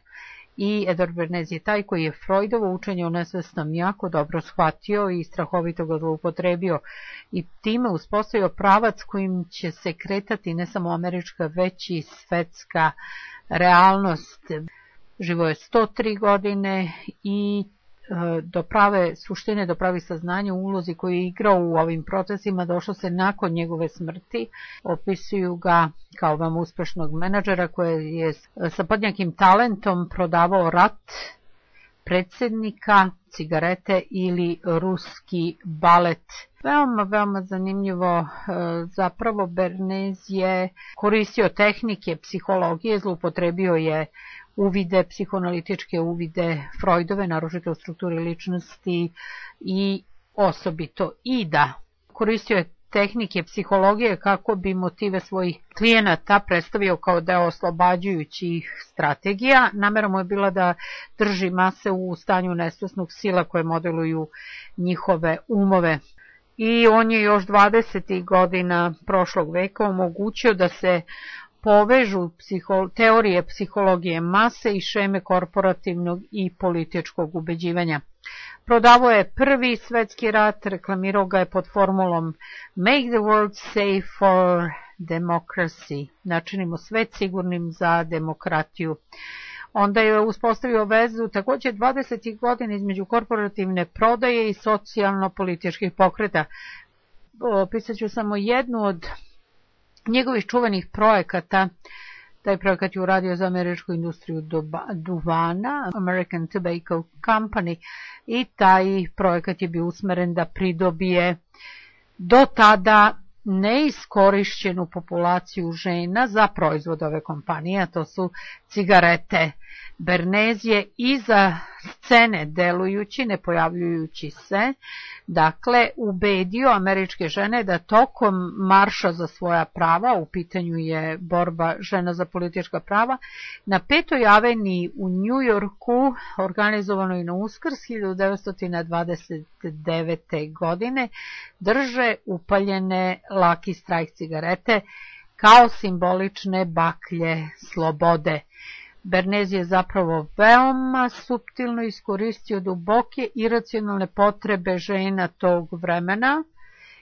i Edward Bernays je taj koji je Freudovo učenje o nesvesnom jako dobro shvatio i strahovito ga zloupotrebio i time uspostavio pravac kojim će se kretati ne samo američka već i svetska realnost. Živo je 103 godine i do prave suštine, do pravi saznanja u ulozi koju je igrao u ovim procesima došlo se nakon njegove smrti. Opisuju ga kao vam uspešnog menadžera koji je sa podjednakim talentom prodavao rat, predsjednika, cigarete ili ruski balet. Veoma zanimljivo, zapravo Bernays je koristio tehnike psihologije, zloupotrebio je uvide, psihoanalitičke uvide Freudove, naročito u strukturi ličnosti i osobito Ida. Koristio je tehnike psihologije kako bi motive svojih klijenata predstavio kao deo oslobađajućih strategija. Namera mu je bila da drži mase u stanju nesvesnog sila koje modeluju njihove umove. I on je još 20. godina prošlog veka omogućio da se povežu teorije psihologije mase i šeme korporativnog i političkog ubeđivanja. Prodavao je prvi svetski rat, reklamirao ga je pod formulom Make the world safe for democracy, načinimo svet sigurnim za demokratiju. Onda je uspostavio vezu također 20. godina između korporativne prodaje i socijalno-političkih pokreta. Opisat ću samo jednu od njegovih čuvenih projekata. Taj projekat je uradio za američku industriju duvana, American Tobacco Company, i taj projekat je bio usmeren da pridobije do tada neiskorišćenu populaciju žena za proizvod ove kompanije, a to su cigarete. Bernays je iza scene delujući, ne pojavljujući se, dakle, ubedio američke žene da tokom marša za svoja prava, u pitanju je borba žena za politička prava, na 5. aveniji u New Yorku, organizovanoj na Uskrs 1929. godine, drže upaljene Lucky Strike cigarete kao simbolične baklje slobode. Bernays je zapravo veoma suptilno iskoristio duboke iracionalne potrebe žena tog vremena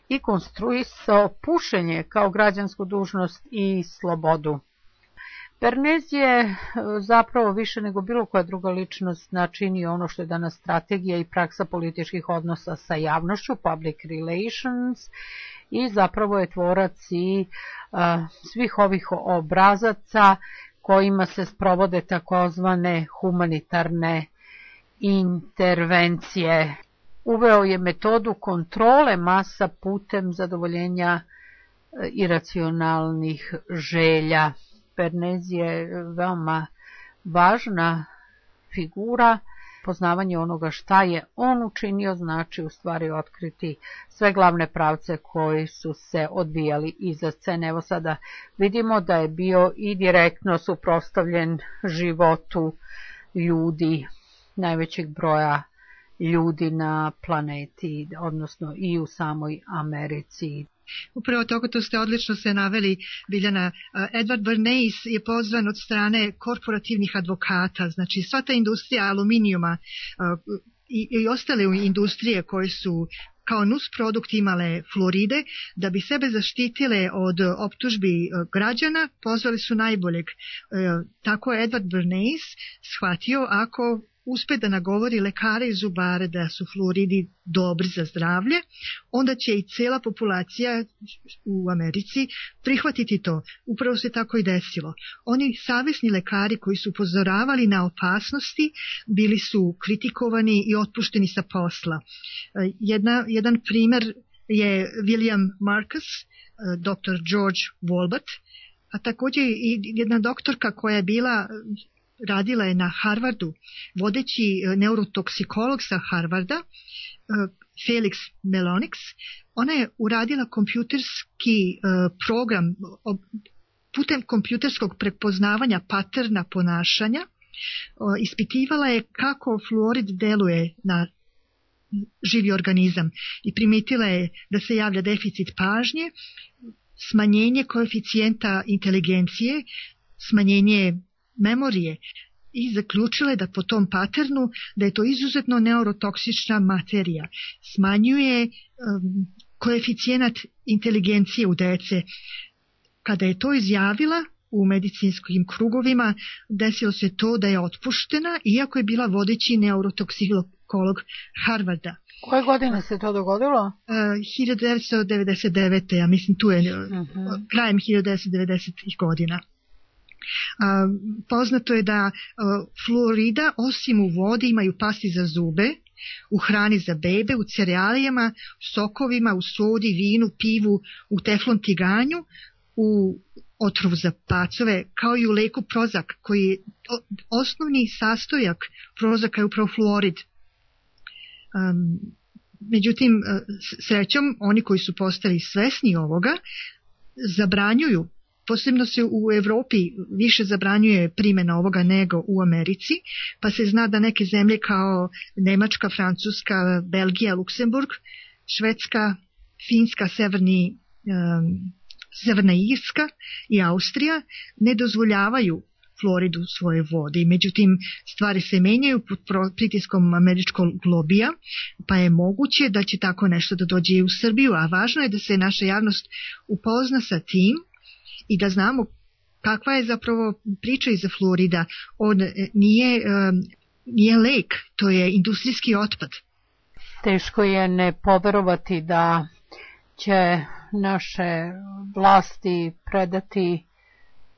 i konstruisao pušenje kao građansku dužnost i slobodu. Bernays je zapravo više nego bilo koja druga ličnost načinio ono što je danas strategija i praksa političkih odnosa sa javnošću, public relations, i zapravo je tvorac i svih ovih obrazaca kojima se sprovode takozvane humanitarne intervencije. Uveo je metodu kontrole masa putem zadovoljenja iracionalnih želja. Bernays je veoma važna figura. Poznavanje onoga šta je on učinio znači u stvari otkriti sve glavne pravce koji su se odvijali iza scene. Evo sada vidimo da je bio i direktno suprotstavljen životu ljudi, najvećeg broja ljudi na planeti, odnosno i u samoj Americi. Upravo to ste odlično se naveli, Biljana. Edward Bernays je pozvan od strane korporativnih advokata, znači sva ta industrija aluminijuma i ostale industrije koje su kao nusprodukt imale fluoride, da bi sebe zaštitile od optužbi građana, pozvali su najboljeg. Tako je Edward Bernays shvatio, ako uspe da nagovori lekare i zubare da su fluoridi dobri za zdravlje, onda će i cijela populacija u Americi prihvatiti to. Upravo se tako i desilo. Oni savjesni lekari koji su upozoravali na opasnosti bili su kritikovani i otpušteni sa posla. Jedan primjer je William Marcus, dr. George Wolbert, a također i jedna doktorka koja je radila je na Harvardu, vodeći neurotoksikolog sa Harvarda, Felix Melonix. Ona je uradila kompjuterski program putem kompjuterskog prepoznavanja paterna ponašanja. Ispitivala je kako fluorid deluje na živi organizam i primetila je da se javlja deficit pažnje, smanjenje koeficijenta inteligencije, smanjenje memorije, i zaključila je da po tom paternu da je to izuzetno neurotoksična materija. Smanjuje koeficijent inteligencije u dece. Kada je to izjavila u medicinskim krugovima, desilo se to da je otpuštena, iako je bila vodeći neurotoksikolog Harvarda. Koje godine se to dogodilo? 1999. Ja mislim tu je krajem 1990. godina. Poznato je da fluorida osim u vodi imaju pasti za zube, u hrani za bebe, u cerealijama, sokovima, u sodi, vinu, pivu, u teflon tiganju, u otrov za pacove, kao i u leku Prozac, koji je osnovni sastojak Prozaca je upravo fluorid. Međutim, srećom, oni koji su postali svesni ovoga, zabranjuju, posebno se u Evropi više zabranjuje primjena ovoga nego u Americi, pa se zna da neke zemlje kao Nemačka, Francuska, Belgija, Luksemburg, Švedska, Finska, Severna Irska i Austrija ne dozvoljavaju fluorid u svojoj vodi. Međutim, stvari se menjaju pod pritiskom američkog lobija, pa je moguće da će tako nešto da dođe i u Srbiju, a važno je da se naša javnost upozna sa tim i da znamo kakva je zapravo priča iza fluorida. On nije lek, to je industrijski otpad. Teško je ne poverovati da će naše vlasti predati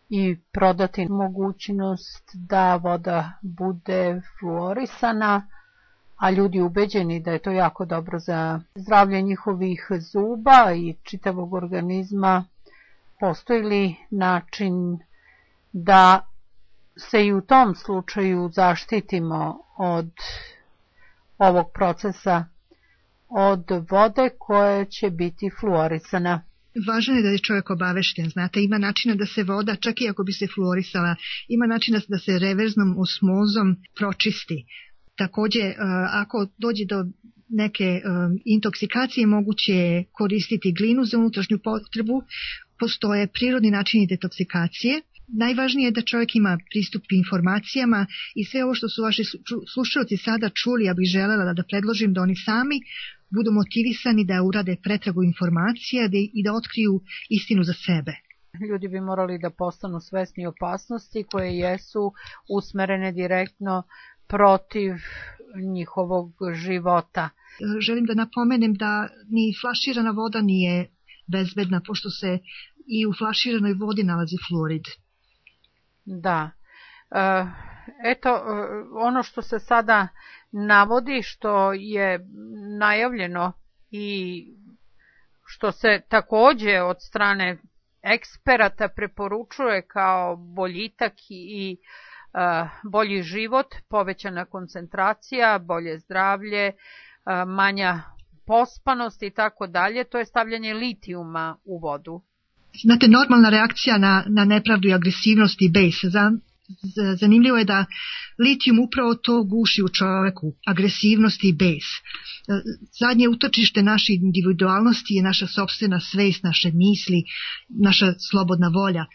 i prodati mogućnost da voda bude fluorisana, a ljudi ubeđeni da je to jako dobro za zdravlje njihovih zuba i čitavog organizma. Postoji li način da se i u tom slučaju zaštitimo od ovog procesa, od vode koja će biti fluorisana? Važno je da je čovjek obavešten, znate, ima načina da se voda, čak i ako bi se fluorisala, ima načina da se reverznom osmozom pročisti. Također, ako dođe do neke intoksikacije, moguće je koristiti glinu za unutrašnju potrebu, postoje prirodni načini detoksikacije. Najvažnije je da čovjek ima pristup informacijama i sve ovo što su vaši slušalci sada čuli, ja bih želela da predložim da oni sami budu motivisani da urade pretragu informacija i da otkriju istinu za sebe. Ljudi bi morali da postanu svesni opasnosti koje jesu usmerene direktno protiv njihovog života. Želim da napomenem da ni flaširana voda nije bezbedna, pošto se i u flaširanoj vodi nalazi fluorid. Da. Eto, ono što se sada navodi, što je najavljeno i što se također od strane eksperata preporučuje kao boljitak i bolji život, povećana koncentracija, bolje zdravlje, manja pospanost i tako dalje, to je stavljanje litijuma u vodu. Znate, normalna reakcija na nepravdu i agresivnost i bes. Zanimljivo je da litijum upravo to guši u čoveku, agresivnost i bes. Zadnje utočište naše individualnosti je naša sopstvena svest, naše misli, naša slobodna volja.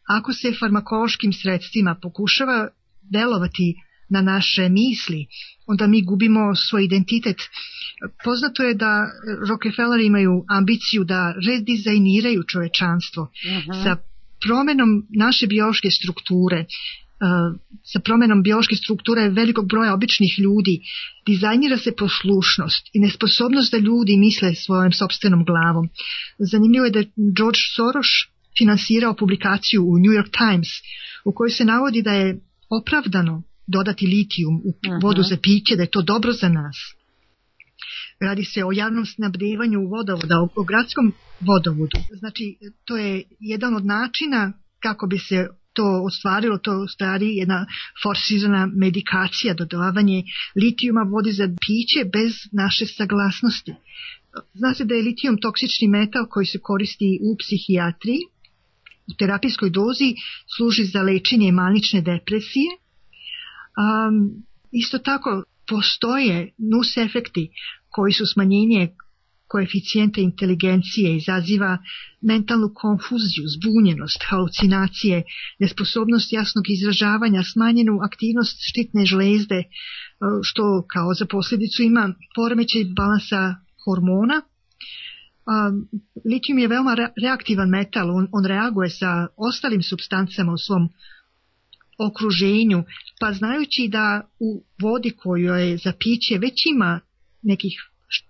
Ako se farmakološkim sredstvima pokušava delovati na naše misli, onda mi gubimo svoj identitet. Poznato je da Rockefeller imaju ambiciju da redizajniraju čovečanstvo sa promjenom naše biološke strukture, sa promjenom biološke strukture velikog broja običnih ljudi. Dizajnira se poslušnost i nesposobnost da ljudi misle svojom sopstvenom glavom. Zanimljivo je da George Soros finansirao publikaciju u New York Times u kojoj se navodi da je opravdano dodati litijum u vodu za piće, da je to dobro za nas. Radi se o javnom snabdevanju vodovoda, o gradskom vodovodu. Znači, to je jedan od načina kako bi se to ostvarilo, to u stvari jedna forsirana medikacija, dodavanje litijuma vodi za piće bez naše saglasnosti. Zna se da je litijum toksični metal koji se koristi u psihijatriji, u terapijskoj dozi služi za lečenje manične depresije. Isto tako postoje nus efekti koji su smanjenje koeficijenta inteligencije, izaziva mentalnu konfuziju, zbunjenost, halucinacije, nesposobnost jasnog izražavanja, smanjenu aktivnost štitne žlezde, što kao za posljedicu ima poremećaj balansa hormona. Litijum je veoma reaktivan metal, on reaguje sa ostalim supstancama u svom okruženju, pa znajući da u vodi kojoj je za piće već ima nekih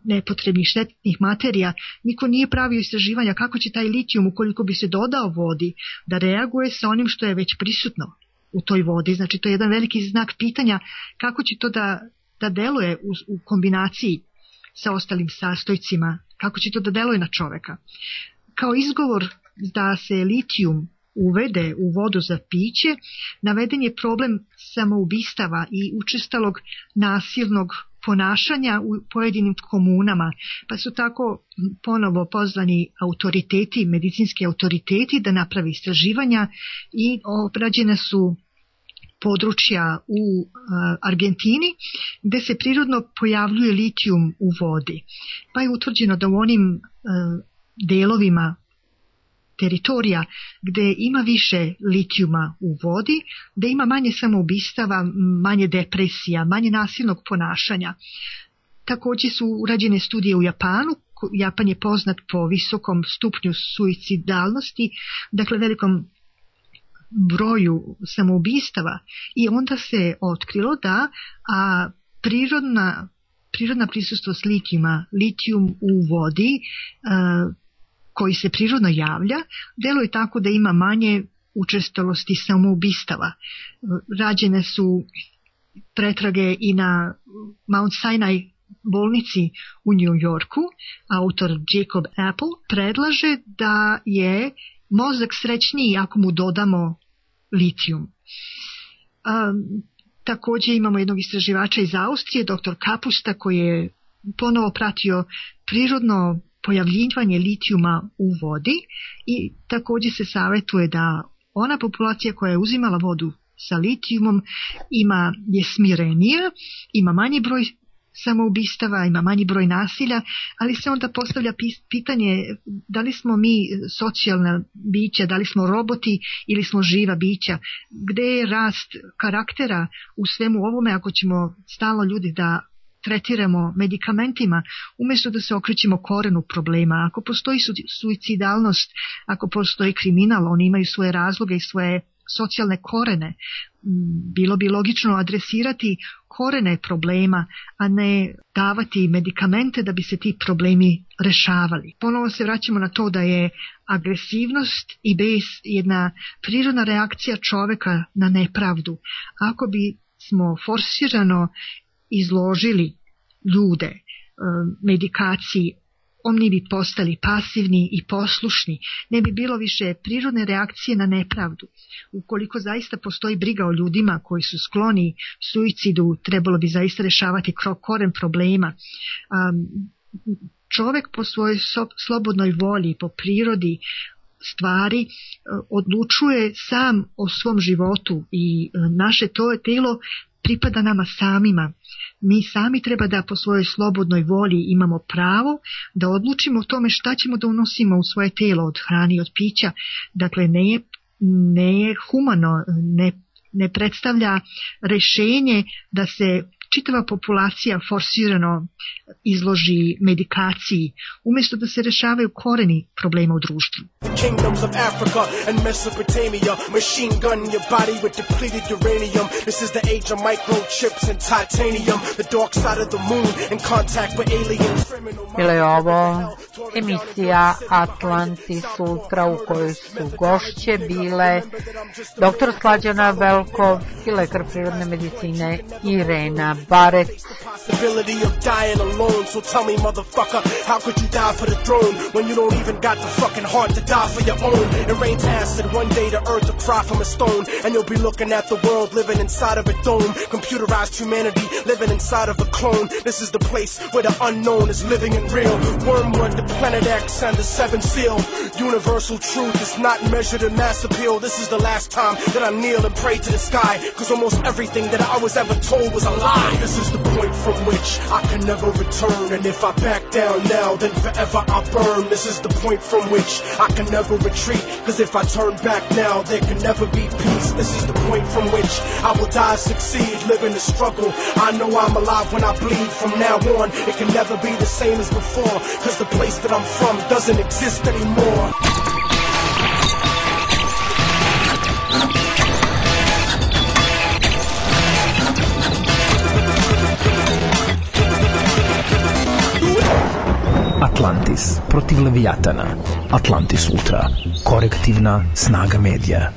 nepotrebnih štetnih materija, niko nije pravio istraživanja kako će taj litijum, ukoliko bi se dodao vodi, da reaguje sa onim što je već prisutno u toj vodi. Znači, to je jedan veliki znak pitanja kako će to da deluje u kombinaciji sa ostalim sastojcima, kako će to da deluje na čoveka. Kao izgovor da se litijum uvede u vodu za piće, naveden je problem samoubistava i učestalog nasilnog ponašanja u pojedinim komunama, pa su tako ponovo pozvani autoriteti, medicinski autoriteti da napravi istraživanja i obrađene su područja u Argentini gdje se prirodno pojavljuje litijum u vodi. Pa je utvrđeno da u onim delovima teritorija gdje ima više litijuma u vodi, da ima manje samoubistava, manje depresija, manje nasilnog ponašanja. Također su urađene studije u Japanu. Japan je poznat po visokom stupnju suicidalnosti, dakle velikom broju samoubistava, i onda se otkrilo da prirodna prisutnost litijum u vodi koji se prirodno javlja, deluje tako da ima manje učestalosti samoubistava. Rađene su pretrage i na Mount Sinai bolnici u New Yorku. Autor Jacob Apple predlaže da je mozak srećniji ako mu dodamo litijum. Također imamo jednog istraživača iz Austrije, dr. Kapusta, koji je ponovo pratio prirodno pojavljivanje litijuma u vodi i također se savjetuje da ona populacija koja je uzimala vodu sa litijumom je smirenija, ima manji broj samoubistava, ima manji broj nasilja, ali se onda postavlja pitanje da li smo mi socijalna bića, da li smo roboti ili smo živa bića, gdje je rast karaktera u svemu ovome ako ćemo stalno ljudi da tretiramo medikamentima umjesto da se okrećemo korenu problema. Ako postoji suicidalnost, ako postoji kriminal, oni imaju svoje razloge i svoje socijalne korene. Bilo bi logično adresirati korene problema, a ne davati medikamente da bi se ti problemi rešavali. Ponovo se vraćamo na to da je agresivnost i bes jedna prirodna reakcija čoveka na nepravdu. Ako bi smo forsirano izložili ljude medikaciji, oni bi postali pasivni i poslušni, ne bi bilo više prirodne reakcije na nepravdu. Ukoliko zaista postoji briga o ljudima koji su skloni suicidu, trebalo bi zaista rešavati koren problema. Čovjek po svojoj slobodnoj volji, po prirodi stvari odlučuje sam o svom životu i naše telo pripada nama samima. Mi sami treba da po svojoj slobodnoj volji imamo pravo da odlučimo o tome šta ćemo da unosimo u svoje telo od hrane i od pića. Dakle, ne je humano, ne predstavlja rešenje da se čitava populacija forsirano izloži medikaciji, umjesto da se rešavaju koreni problema u društvu. Kingdoms of Africa and Mesopotamia, machine gun your body with depleted uranium. This is the age of microchips and titanium, the dark side of the moon in contact with aliens. Bila je ovo emisija Atlantis Ultra u kojoj su gošće bile dr. Slađana Velkov i lekar prirodne medicine Irena Barec. Possibility of dying alone, so tell me motherfucker, how could you die for the throne when you don't even got the fucking heart to die for your own? It rains acid one day, the earth will cry from a stone, and you'll be looking at the world living inside of a dome. Computerized humanity living inside of a clone. This is the place where the unknown is living and real. Wormwood, the planet X, and the seventh seal. Universal truth is not measured in mass appeal. This is the last time that I kneel and pray to the sky, cause almost everything that I was ever told was a lie. This is the point from which I can never return, and if I back down now, then forever I burn. This is the point from which I can never retreat, cause if I turn back now, there can never be peace. This is the point from which I will die, succeed, live in the struggle. I know I'm alive when I bleed. From now on, it can never be the same as before, cause the place that I'm from doesn't exist anymore. Atlantis protiv Leviatana. Atlantis Ultra. Korektivna snaga medija.